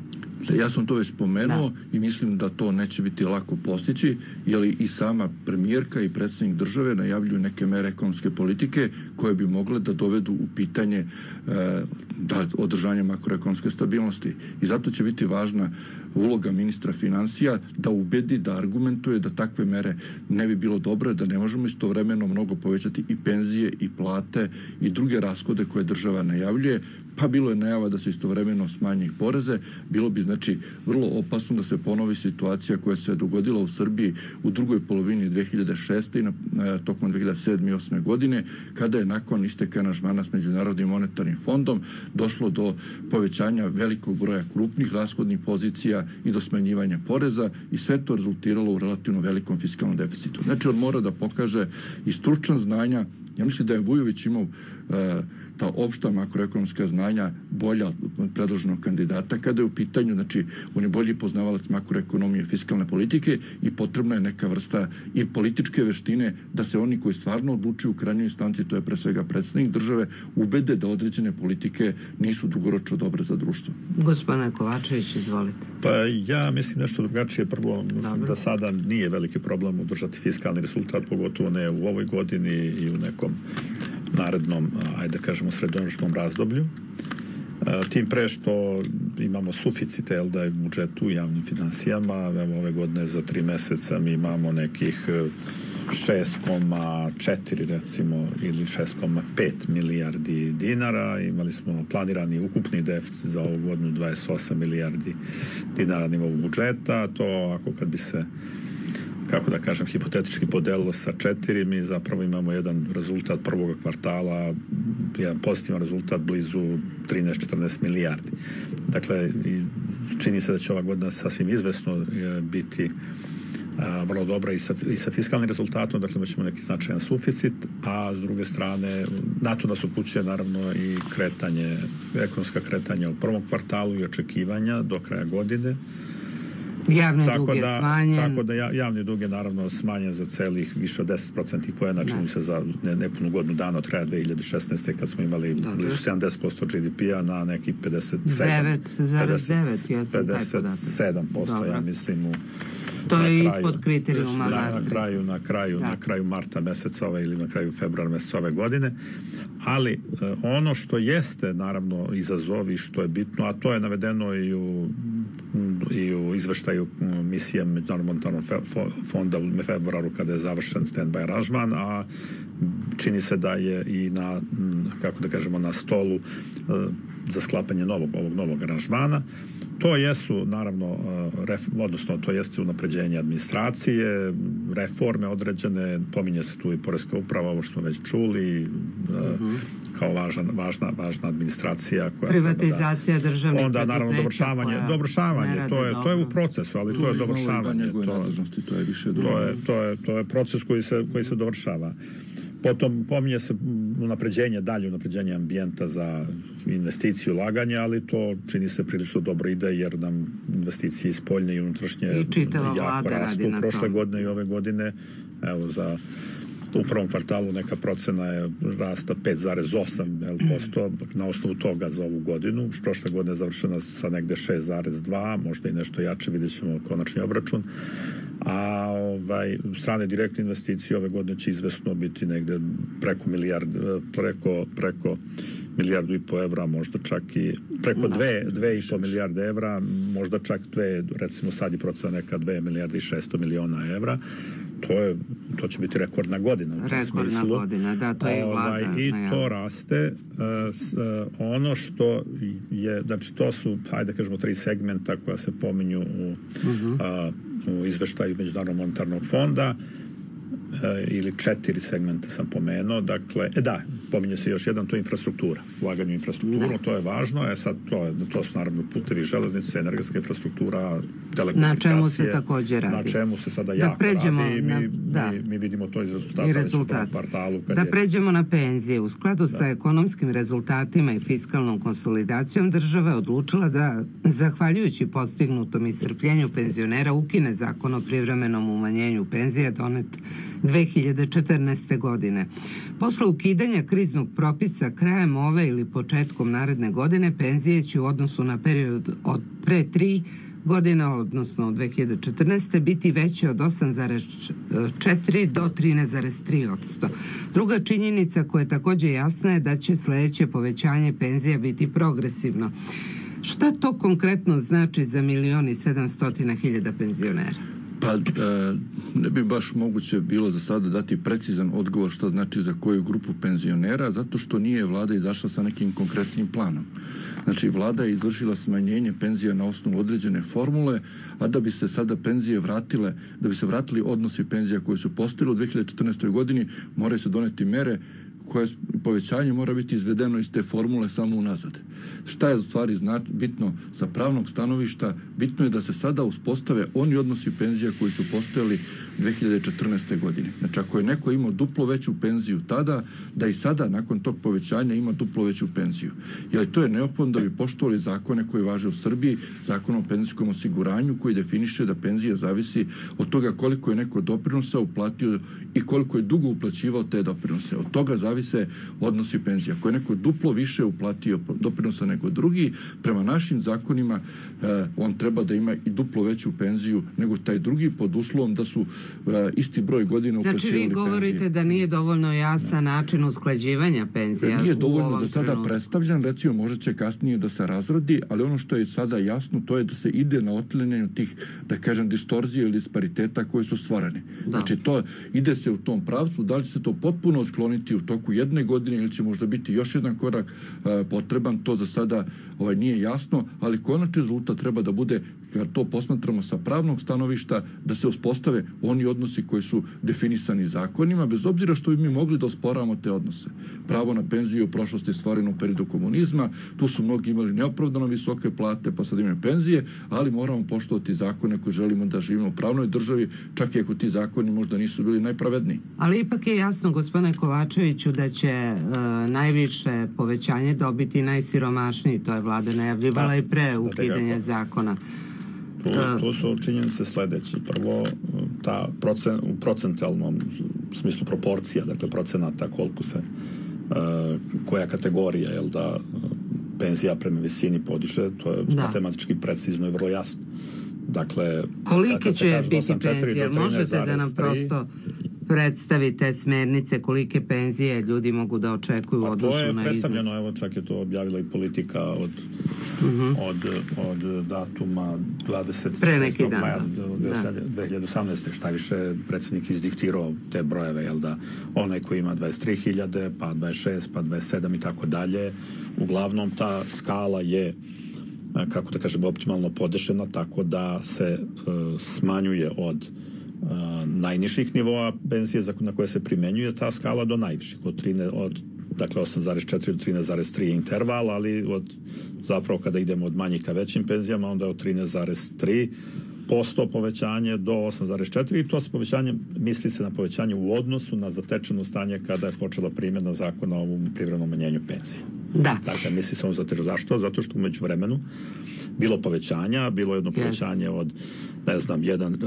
Ja sam to već spomenuo da. I mislim da to neće biti lako postići, jer i sama premijerka i predsjednik države najavljuju neke mere ekonomske politike koje bi mogle da dovedu u pitanje e, da održanje makroekonomske stabilnosti. I zato će biti važna uloga ministra financija da ubedi, da argumentuje da takve mere ne bi bilo dobro, da ne možemo istovremeno mnogo povećati i penzije i plate i druge rashode koje država najavljuje, pa bilo je najava da se istovremeno smanje i poreze. Bilo bi, znači, vrlo opasno da se ponovi situacija koja se dogodila u Srbiji u drugoj polovini dve hiljade šeste i na, na, tokom dve hiljade sedme i osme godine, kada je nakon isteka aranžmana s Međunarodnim monetarnim fondom došlo do povećanja velikog broja krupnih rashodnih pozicija i do smanjivanja poreza i sve to rezultiralo u relativno velikom fiskalnom deficitu. Znači, on mora da pokaže i stručna znanja. Ja mislim da je Vujović imao uh, ta opšta makroekonomska znanja bolja od predloženog kandidata kada je u pitanju, znači, on je bolji poznavalac makroekonomije, fiskalne politike i potrebna je neka vrsta i političke veštine da se oni koji stvarno odlučuju u krajnjoj instanci, to je pre svega predsjednik države, ubede da određene politike nisu dugoročno dobre za društvo. Gospodine Kovačević, izvolite. Pa ja mislim nešto drugačije. Prvo, mislim Dobre. da sada nije veliki problem održati fiskalni rezultat, pogotovo ne u ovoj godini i u nekom narednom, ajde kažemo, srednjoročnom razdoblju. Tim pre što imamo suficite, jel da je u budžetu u javnim finansijama. Evo, ove godine za tri meseca mi imamo nekih šest zarez četiri recimo ili šest zarez pet milijardi dinara. Imali smo planirani ukupni deficit za ovu godinu dvadeset osam milijardi dinara nivou budžeta. To ako kad bi se, kako da kažem, hipotetički podelilo sa četiri, mi zapravo imamo jedan rezultat prvog kvartala, jedan pozitivan rezultat blizu trinaest četrnaest milijardi. Dakle, čini se da će ova godina sasvim izvesno biti a, vrlo dobra i sa, i sa fiskalnim rezultatom, dakle imat ćemo neki značajan suficit, a s druge strane na to nas upućuje naravno i kretanje, ekonomska kretanja u prvom kvartalu i očekivanja do kraja godine. Javni tako dug je da, smanjen. Tako da javni dug je naravno smanjen za celih više od deset procentnih poena, čini se za ne, nepunu godinu dana od kraja dve hiljade šesnaeste kad smo imali Dobre. blizu sedamdeset posto G D P-a na nekih pedeset sedam devet zarez devet, ja sam taj podatak. pedeset sedam posto, ja mislim, u to je kraju, ispod kriterijuma na, na kraju, na kraju, da. na kraju marta meseca ove ili na kraju februara meseca ove godine. Ali eh, ono što jeste naravno izazovi, što je bitno, a to je navedeno i u i u izveštaju misije Međunarodnog monetarnog fonda u februaru kada je završen stand-by aranžman, a čini se da je i na, kako da kažemo, na stolu uh, za sklapanje novog, ovog novog aranžmana. To jesu, naravno, ref, odnosno to jeste unapređenje administracije, reforme određene, pominje se tu i poreska uprava, ovo što smo već čuli, uh-huh. kao važan, važna, važna administracija. Koja privatizacija da, državnih onda, naravno, dovršavanje, dovršavanje, to je, to je u procesu, ali to, to je dovršavanje. To, to, je, to, je, to, je, to je proces koji se, koji se dovršava. Potom pominje se unapređenje, dalje unapređenje ambijenta za investiciju, ulaganje, ali to čini se prilično dobro ide, jer nam investicije iz spoljne i unutrašnje jako rastu prošle godine i ove godine. Evo, za u prvom kvartalu neka procena je rasta pet zarez osam posto na osnovu toga za ovu godinu. Prošle godine je završena sa negde šest zarez dva, možda i nešto jače, vidjet ćemo konačni obračun. A ovaj, strane direktne investicije ove godine će izvesno biti negde preko milijard, preko, preko milijardu i po evra, možda čak i preko dve, dve i po milijarde evra, možda čak dve, recimo sad je procena neka dve milijarde i šesto miliona evra. To je, to će biti rekordna godina. Rekordna godina, da, to je vlada. Ovaj, I to raste. Uh, s, uh, ono što je, znači to su, hajde kažemo, tri segmenta koja se pominju u, uh-huh. uh, u izveštaju Međunarodnog monetarnog fonda, ili četiri segmenta sam pomenuo, dakle, e da, pominje se još jedan, to je infrastruktura, ulaganje u infrastrukturu, to je važno, e sad to, je, to su naravno putevi, železnice, energetska infrastruktura, telekomunikacije. Na čemu se također radi. Na čemu se sada jako da radi i mi, na, da. mi, mi vidimo to iz rezultata. I rezultat. Kvartalu, da je... pređemo na penzije. U skladu da. sa ekonomskim rezultatima i fiskalnom konsolidacijom država je odlučila da, zahvaljujući postignutom iscrpljenju penzionera, ukine zakon o privremenom umanjenju penzija donet dve hiljade četrnaeste. godine. Posle ukidanja kriznog propisa krajem ove ili početkom naredne godine penzije će u odnosu na period od pre tri godine, odnosno od dve hiljade četrnaeste. biti veće od osam zarez četiri do trinaest zarez tri posto. Druga činjenica koja je također jasna je da će sledeće povećanje penzija biti progresivno. Šta to konkretno znači za milion i sedamstotina hiljada penzionera? Pa e, ne bi baš moguće bilo za sada dati precizan odgovor što znači za koju grupu penzionera, zato što nije vlada izašla sa nekim konkretnim planom. Znači, vlada je izvršila smanjenje penzija na osnovu određene formule, a da bi se sada penzije vratile, da bi se vratili odnosi penzija koje su postojile u dve hiljade četrnaestoj. godini, moraju se doneti mere koje povećanje mora biti izvedeno iz te formule samo unazad. Šta je u stvari znač, bitno sa pravnog stanovišta? Bitno je da se sada uspostave oni odnosi penzija koji su postojali dve hiljade četrnaeste. godine. Znači, ako je neko imao duplo veću penziju tada, da i sada, nakon tog povećanja, ima duplo veću penziju. Jer to je neophodno da bi poštovali zakone koji važe u Srbiji, zakon o penzijskom osiguranju koji definiše da penzija zavisi od toga koliko je neko doprinosa uplatio i koliko je dugo uplaćivao te doprinose. Od toga zavise odnosi penzija. Ako je neko duplo više uplatio doprinosa nego drugi, prema našim zakonima eh, on treba da ima i duplo veću penziju nego taj drugi, pod uslovom da su eh, isti broj godina uplaćivali penzije. Znači vi govorite penzije. Da nije dovoljno jasan da. način usklađivanja penzija. Nije dovoljno za sada trenutku. predstavljan, recimo možda će kasnije da se razradi, ali ono što je sada jasno to je da se ide na otklanjanje tih, da kažem, distorzije ili dispariteta koji su stvoreni. Da. Znači to ide se u tom pravcu, da li će se to potpuno otkloniti u toku jedne godine ili će možda biti još jedan korak uh, potreban, to za sada ovaj, nije jasno, ali konačni rezultat treba da bude, kad to posmatramo sa pravnog stanovišta, da se uspostave oni odnosi koji su definisani zakonima, bez obzira što bi mi mogli da osporavamo te odnose. Pravo na penziju u prošlosti je stvoreno u periodu komunizma, tu su mnogi imali neopravdano visoke plate, pa sad imaju penzije, ali moramo poštovati zakone koji želimo da živimo u pravnoj državi, čak i ako ti zakoni možda nisu bili najpravedniji. Ali ipak je jasno, gospodine Kovačeviću, da će e, najviše povećanje dobiti najsiromašniji, to je vlada najavljivala i pre ukidanja zakona. Tu, tu su činjenice sledeće. Prvo, ta procen, u procentalnom smislu proporcija, dakle procenata koliko se, uh, koja kategorija, jel da, penzija prema visini podiže, to je da. matematički precizno i vrlo jasno. Dakle, kolike će biti penzije? Možete da nam prosto predstavite smernice kolike penzije ljudi mogu da očekuju u odnosu na iznos? To je predstavljeno, evo čak je to objavila i politika od Uh-huh. od, od datuma dvadeset šestog maja dve hiljade osamnaeste. Šta više, predsjednik izdiktirao te brojeve, jel da, onaj koji ima dvadeset tri hiljade, pa dvadeset šest, pa dvadeset sedam i tako dalje. Uglavnom ta skala je, kako da kažem, optimalno podešena, tako da se uh, smanjuje od uh, najnižih nivoa penzije na koje se primenjuje ta skala do najviših, od, trine, od dakle osam zarez četiri do trinaest zarez tri interval, ali od, zapravo kada idemo od manjih ka većim penzijama, onda od trinaest zarez tri posto povećanje do osam zarez četiri i to se povećanje, misli se na povećanje u odnosu na zatečeno stanje kada je počela primjena zakona o privremenom umanjenju penzije. Da. Dakle, misli se on zatečeno. Zašto? Zato što umeđu vremenu bilo povećanja, bilo jedno povećanje yes. od ne znam, jedan, uh,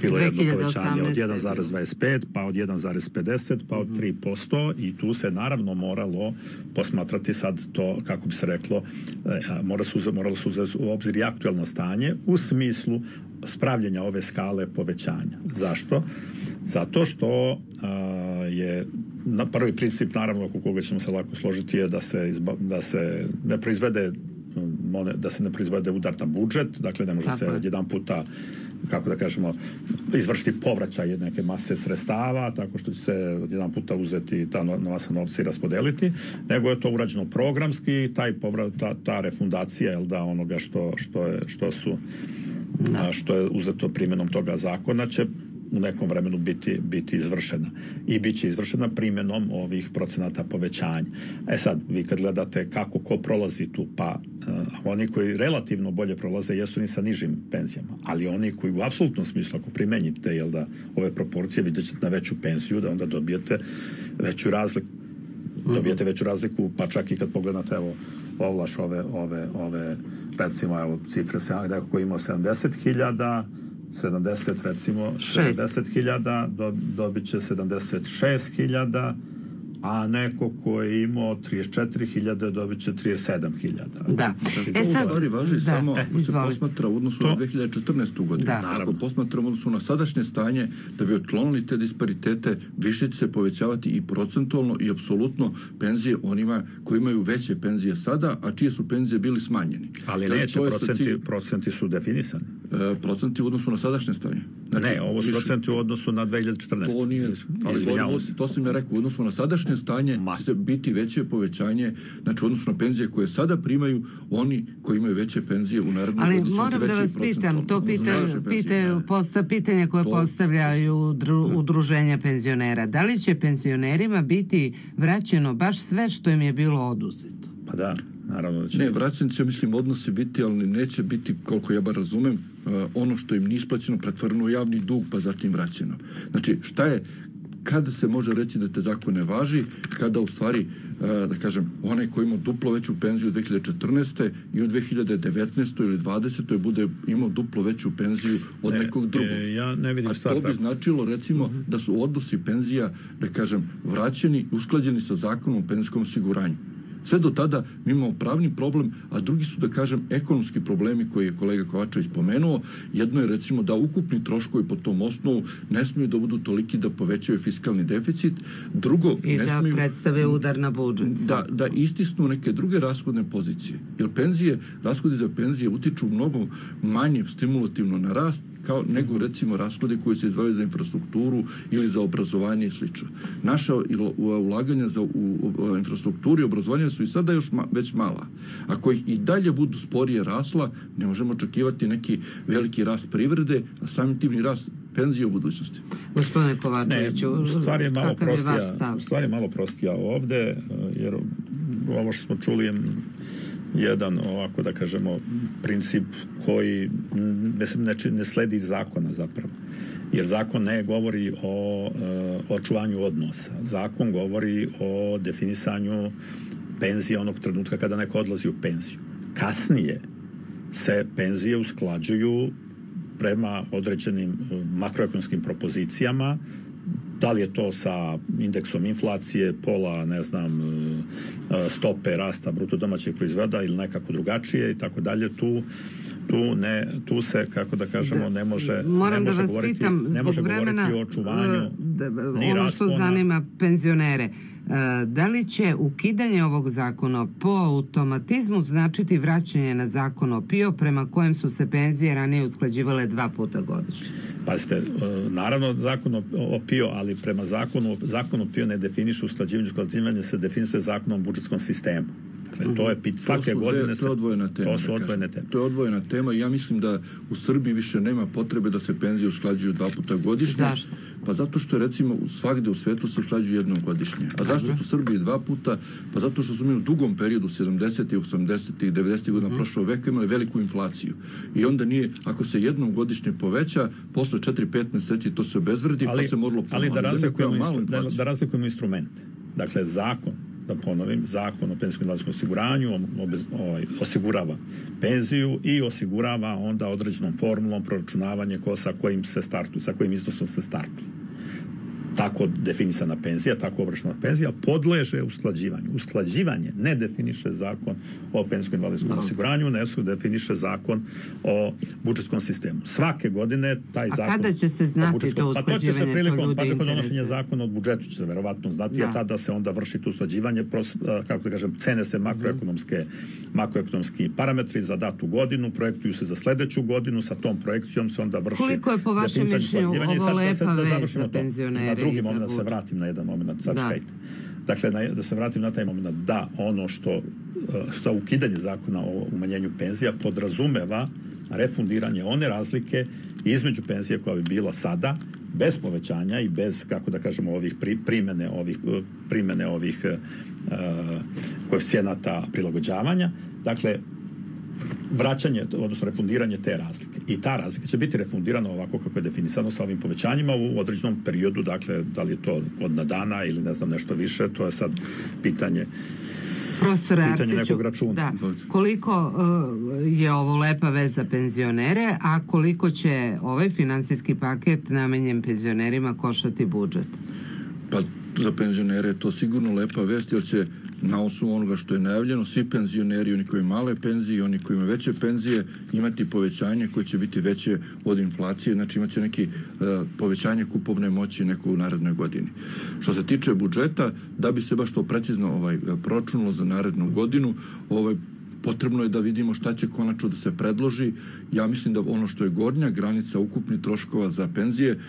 bilo jedno povećanje od jedan zarez dvadeset pet, pa od jedan zarez pedeset, pa od tri posto i tu se naravno moralo posmatrati sad to, kako bi se reklo, eh, mora se, moralo se uzeti u obzir i aktualno stanje u smislu spravljenja ove skale povećanja. Zašto? Zato što uh, je na prvi princip, naravno, oko koga ćemo se lako složiti, je da se, izba, da se ne proizvede da se ne proizvede udar na budžet, dakle ne može Tako se je. jedan puta, kako da kažemo, izvršiti povraćaj neke mase sredstava, tako što će se jedan puta uzeti ta masa novca i raspodeliti, nego je to urađeno programski, taj povrat, ta, ta refundacija, jel da, onoga što, što, je, što su a, što je uzeto primjenom toga zakona će u nekom vremenu biti, biti izvršena. I bit će izvršena primjenom ovih procenata povećanja. E sad, vi kad gledate kako ko prolazi tu, pa uh, oni koji relativno bolje prolaze jesu ni sa nižim penzijama, ali oni koji u apsolutnom smislu, ako primenjite, jel da, ove proporcije, vidjet ćete na veću penziju, da onda dobijete veću razliku. Dobijete veću razliku, pa čak i kad pogledate, evo, ovlaš ove, ove, ove, recimo, evo, cifre se, neko koji imao sedamdeset hiljada, sedamdeset recimo sedamdeset hiljada do, dobit će sedamdeset šest hiljada, a neko ko je imao trideset četiri hiljade dobit će trideset sedam hiljada. Da. E sad, stvari važi da, samo ako se posmatra u odnosu to? na dve hiljade četrnaestu. godinu. Da. Ako posmatramo u odnosu na sadašnje stanje, da bi otklonili te disparitete, više će se povećavati i procentualno i apsolutno penzije onima koji imaju veće penzije sada, a čije su penzije bili smanjeni. Ali da, neće, procenti, cilj... procenti su definisani. E, procenti u odnosu na sadašnje stanje. Znači, ne, ovo su procenti u odnosu na dve hiljade četrnaestu. To nije, ali to, to sam ja rekao, u odnosu na sadašnje stanje Ma. će se biti veće povećanje, znači u odnosu na penzije koje sada primaju, oni koji imaju veće penzije u narednom ali moram da vas pitam, to pitaju, pitaju, posta, pitanje koje to, postavljaju dru, udruženja penzionera. Da li će penzionerima biti vraćeno baš sve što im je bilo oduzeto? Pa da. Naravno da će ne, vraćan će, mislim, odnosi biti, ali neće biti, koliko ja bar razumem, uh, ono što im nije isplaćeno pretvoreno u javni dug, pa zatim vraćeno. Znači, šta je, kada se može reći da te zakon ne važi, kada u stvari, uh, da kažem, onaj koji ima duplo veću penziju u dve hiljade četrnaeste. i u dve hiljade devetnaestoj ili dvadesetoj bude imao duplo veću penziju od ne, nekog drugog. E, ja ne vidim A to bi značilo, recimo, uh-huh. da su odnosi penzija, da kažem, vraćeni, usklađeni sa zakonom o penzijskom osiguranju. Sve do tada mi imamo pravni problem, a drugi su, da kažem, ekonomski problemi koje je kolega Kovačević spomenuo. Jedno je, recimo, da ukupni troškovi po tom osnovu ne smiju da budu toliki da povećaju fiskalni deficit. Drugo, I ne da smiju, predstave udar na budžet. Da, da istisnu neke druge rashodne pozicije. Jer penzije, rashodi za penzije utiču mnogo manje stimulativno na rast kao nego, recimo, rashode koji se izdvajaju za infrastrukturu ili za obrazovanje i slično. Naša ulaganja za, u, u infrastrukturu i obrazovanje su i sada još ma, već mala. Ako ih i dalje budu sporije rasla, ne možemo očekivati neki veliki rast privrede, a samim tim i rast penzije u budućnosti. Gospodine Kovačeviću, stvar je malo prostija, stvar je malo prostija ovde, jer ovo što smo čuli je jedan, ovako da kažemo, princip koji mislim, ne, ne sledi iz zakona zapravo. Jer zakon ne govori o uh, očuvanju odnosa. Zakon govori o definisanju penzije onog trenutka kada neko odlazi u penziju. Kasnije se penzije usklađuju prema određenim makroekonomskim propozicijama, da li je to sa indeksom inflacije, pola, ne znam, stope rasta bruto domaćeg proizvoda ili nekako drugačije i tako dalje, tu tu ne, tu se, kako da kažemo, ne može moram ne može da vas govoriti, pitam ne može zbog vremena govoriti o očuvanju da, ono što zanima penzionere. Da li će ukidanje ovog zakona po automatizmu značiti vraćanje na zakon o PIO prema kojem su se penzije ranije usklađivale dva puta godišnje? Pazite, naravno zakon o PIO, ali prema zakonu, zakon o PIO ne definiše usklađivanje, usklađivanje se definiše zakonom o budžetskom sistemu. Dakle, to je pit, svake to godine dve, se... To je odvojena tema. To su odvojene teme. To je odvojena tema i ja mislim da u Srbiji više nema potrebe da se penzije usklađuju dva puta godišnje. Zašto? Pa zato što recimo svagde u svetu se usklađuju jednom godišnje. A zašto su u Srbiji dva puta? Pa zato što su mi u dugom periodu sedamdesetih, osamdesetih, devedesetih godina prošlog veka imali veliku inflaciju. I onda nije, ako se jednom godišnje poveća, posle četiri pet meseci to se obezvredi, ali, pa se moralo ponovno. Ali da razlikujemo, instru, da, da razlikujemo instrumente. Dakle, zakon, da ponovim, zakon o penzijskom i invalidskom osiguranju obez, ovaj, osigurava penziju i osigurava onda određenom formulom proračunavanje ko, sa kojim se startu, sa kojim iznosom se startu. Tako definisana penzija, tako obračunata penzija podleže usklađivanju. Usklađivanje ne definiše zakon o penzijskom i invalidskom no. osiguranju, ne su definiše zakon o budžetskom sistemu. Svake godine taj A zakon... A kada će se znati to usklađivanje? Pa to će se prilikom, to ljudi pa prilikom interesuje. donošenja zakona od budžetu će se verovatno znati, da. jer tada se onda vrši to usklađivanje, pros, kako da kažem, cene se makroekonomske, makroekonomski parametri za datu godinu, projektuju se za sledeću godinu, sa tom projekcijom se onda vrši... Koliko je po vašem mišljenju ovo lepa vez za penzionere? Drugi moment, da se vratim na jedan moment, sad čekajte. Dakle, na, da se vratim na taj moment, da ono što, što ukidanje zakona o umanjenju penzija podrazumeva refundiranje one razlike između penzije koja bi bila sada, bez povećanja i bez, kako da kažemo, ovih pri, primene ovih, primene ovih uh, koeficijenata prilagođavanja. Dakle, vraćanje, odnosno refundiranje te razlike. I ta razlika će biti refundirana ovako kako je definisano sa ovim povećanjima u određenom periodu, dakle, da li je to godina dana ili ne znam nešto više, to je sad pitanje Profesore pitanje Arsiću, nekog računa. Da, koliko uh, je ovo lepa vez za penzionere, a koliko će ovaj finansijski paket namenjen penzionerima koštati budžet? Pa za penzionere je to sigurno lepa vest, jer će na osnovu onoga što je najavljeno, svi penzioneri, oni koji imaju male penzije i oni koji imaju veće penzije, imati povećanje koje će biti veće od inflacije, znači imat će neki uh, povećanje kupovne moći neko u narednoj godini. Što se tiče budžeta, da bi se baš to precizno ovaj, proračunalo za narednu godinu, ovaj, potrebno je da vidimo šta će konačno da se predloži. Ja mislim da ono što je gornja granica ukupnih troškova za penzije,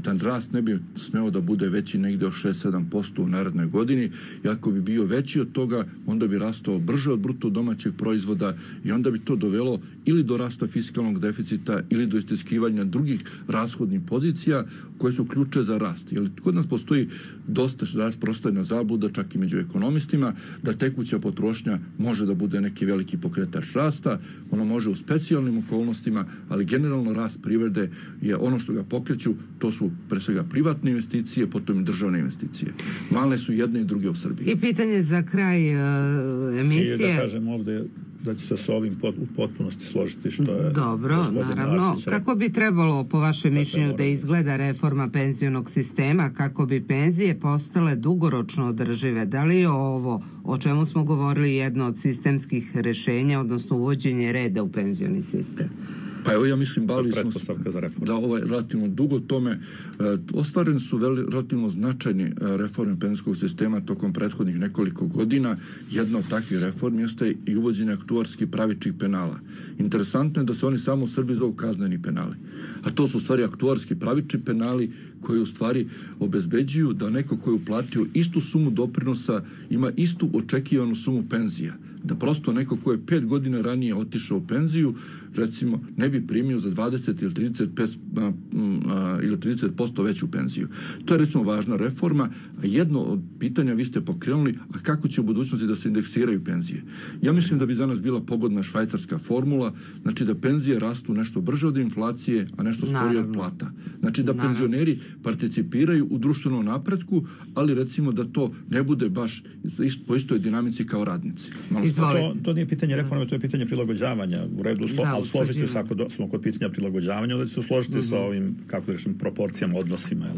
taj rast ne bi smeo da bude veći negde od šest do sedam posto u narednoj godini, i ako bi bio veći od toga, onda bi rastao brže od bruto domaćeg proizvoda i onda bi to dovelo ili do rasta fiskalnog deficita ili do istiskivanja drugih rashodnih pozicija koje su ključe za rast. Jer kod nas postoji dosta prostorna zabluda, čak i među ekonomistima, da tekuća potrošnja može da bude neki veliki pokretač rasta, ono može u specijalnim okolnostima, ali generalno rast privrede je ono što ga pokreću, to su pre svega privatne investicije, potom i državne investicije. Male su jedne i druge u Srbiji. I pitanje za kraj uh, emisije. I da kažem ovde da će se s ovim pot, u potpunosti složiti što je... Dobro, naravno. Arsić, kako bi trebalo, po vašem mišljenju, da izgleda reforma penzionog sistema, kako bi penzije postale dugoročno održive? Da li je ovo, o čemu smo govorili, jedno od sistemskih rešenja, odnosno uvođenje reda u penzioni sistem? Pa evo, ja mislim, bavili smo se da ovaj relativno dugo tome. E, ostvareni su veli, relativno značajni e, reforme penzijskog sistema tokom prethodnih nekoliko godina. Jedna od takvih reformi jeste i uvođenje aktuarskih pravičnih penala. Interesantno je da se oni samo u Srbiji zovu kazneni penali. A to su u stvari aktuarski pravični penali koji u stvari obezbeđuju da neko koji je uplatio istu sumu doprinosa ima istu očekivanu sumu penzija. Da prosto neko ko je pet godina ranije otišao u penziju, recimo, ne bi primio za dvadeset ili trideset pet a, a, ili trideset posto veću penziju. To je, recimo, važna reforma. A jedno od pitanja vi ste pokrenuli, a kako će u budućnosti da se indeksiraju penzije? Ja mislim da bi za nas bila pogodna švajcarska formula, znači da penzije rastu nešto brže od inflacije, a nešto sporije od plata. Znači da Naravno. penzioneri participiraju u društvenom napretku, ali recimo da to ne bude baš po istoj dinamici kao radnici. To, to nije pitanje reforme, to je pitanje prilagođavanja. U redu, slo, da, ali složit ću se ako do, smo kod pitanja prilagođavanja, onda će se složiti uh-huh. sa ovim, kako da rečem, proporcijama, odnosima. Jel?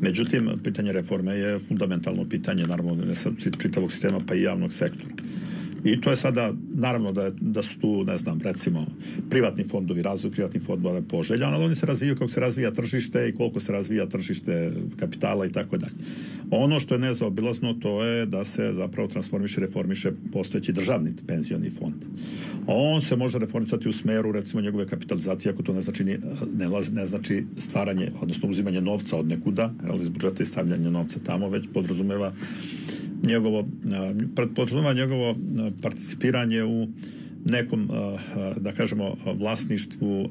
Međutim, pitanje reforme je fundamentalno pitanje, naravno, ne sad čitavog sistema, pa i javnog sektora. I to je sada, naravno da, je, da su tu, ne znam, recimo, privatni fondovi, razvoj privatnih fondova je poželjan, ali oni se razvijaju kako se razvija tržište i koliko se razvija tržište kapitala i tako dalje. Ono što je nezaobilazno, to je da se zapravo transformiše, reformiše postojeći državni penzioni fond. On se može reformisati u smeru, recimo, njegove kapitalizacije, ako to ne znači, ne, ne znači stvaranje, odnosno uzimanje novca od nekuda, ali iz budžeta i stavljanje novca tamo, već podrazumeva njegovo, podrazumeva njegovo participiranje u nekom, da kažemo, vlasništvu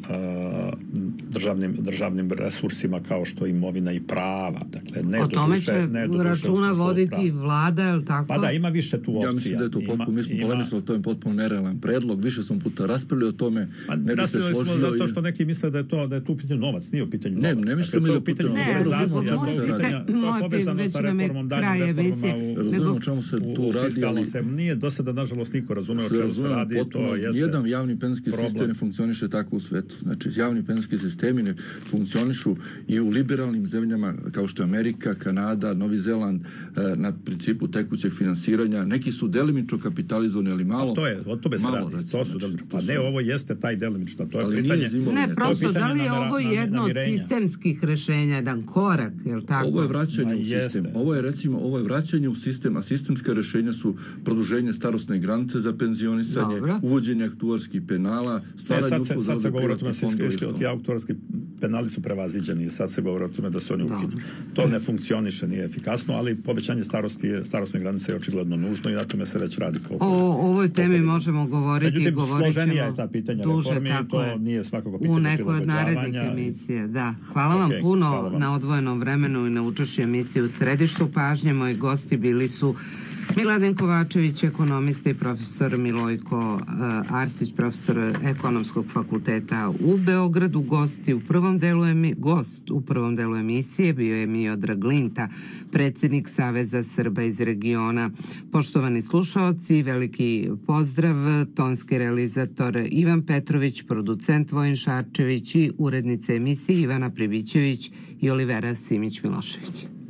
državnim, državnim resursima kao što je imovina i prava. Dakle, ne o tome duše, će ne duše računa voditi prava. Vlada, je li tako? Pa da, ima više tu opcija. Ja mislim da je to potpuno, mi smo polemisali, to je potpuno nerealan predlog, više smo puta raspravili o tome, pa, ne bi se složio. Smo zato što neki misle da je to, da je tu pitanje novac, nije u pitanju ne, novac. Ne, ne mislimo da je u pitanju novac. Ne, razumemo već nam je kraj emisije. Razumemo o čemu se tu radi, ali nije do sada, nažalost, niko razumeo o čemu se radi. Nijedan javni penzijski sistem ne funkcioniše tako u svetu. Znači, javni penzijski sistemi ne funkcionišu i u liberalnim zemljama kao što je Amerika, Kanada, Novi Zeland na principu tekućeg finansiranja. Neki su delimično kapitalizovani, ali malo. A to je, o tome se radi. Recimo, to su delimično. Pa ne, ovo jeste taj delimično. To je ali pitanje. Ne, prosto, da li je ovo jedno od sistemskih rešenja, jedan korak, je li tako? Ovo je vraćanje u sistem. Ovo je, recimo, ovo je vraćanje u sistem, a sistemska rešenja su produženje starosne granice za penzionisanje, Dobro. uvođenje aktuarskih penala, stvaranje uslova za privatne fondove. Ti aktuarski penali su prevaziđeni i sad se govori o tome da se oni ukinu. To ne funkcioniše, nije efikasno, ali povećanje starosti, starosne granice je očigledno nužno i na tome se već radi. O ovoj temi možemo govoriti. Međutim, govorit ćemo je ta pitanja duže, reformi i to je. nije svakako pitanje u nekoj od narednih emisije. Da. Hvala vam okay, puno hvala vam. na odvojenom vremenu i na učešću emisije u središtu pažnje. Moji gosti bili su Miladin Kovačević, ekonomista, i profesor Milojko uh, Arsić, profesor Ekonomskog fakulteta u Beogradu. Gosti u prvom delu emi, gost u prvom delu emisije bio je Miodrag Linta, predsjednik Saveza Srba iz regiona. Poštovani slušaoci, veliki pozdrav, tonski realizator Ivan Petrović, producent Vojin Šarčević i urednica emisije Ivana Pribićević i Olivera Simić-Milošević.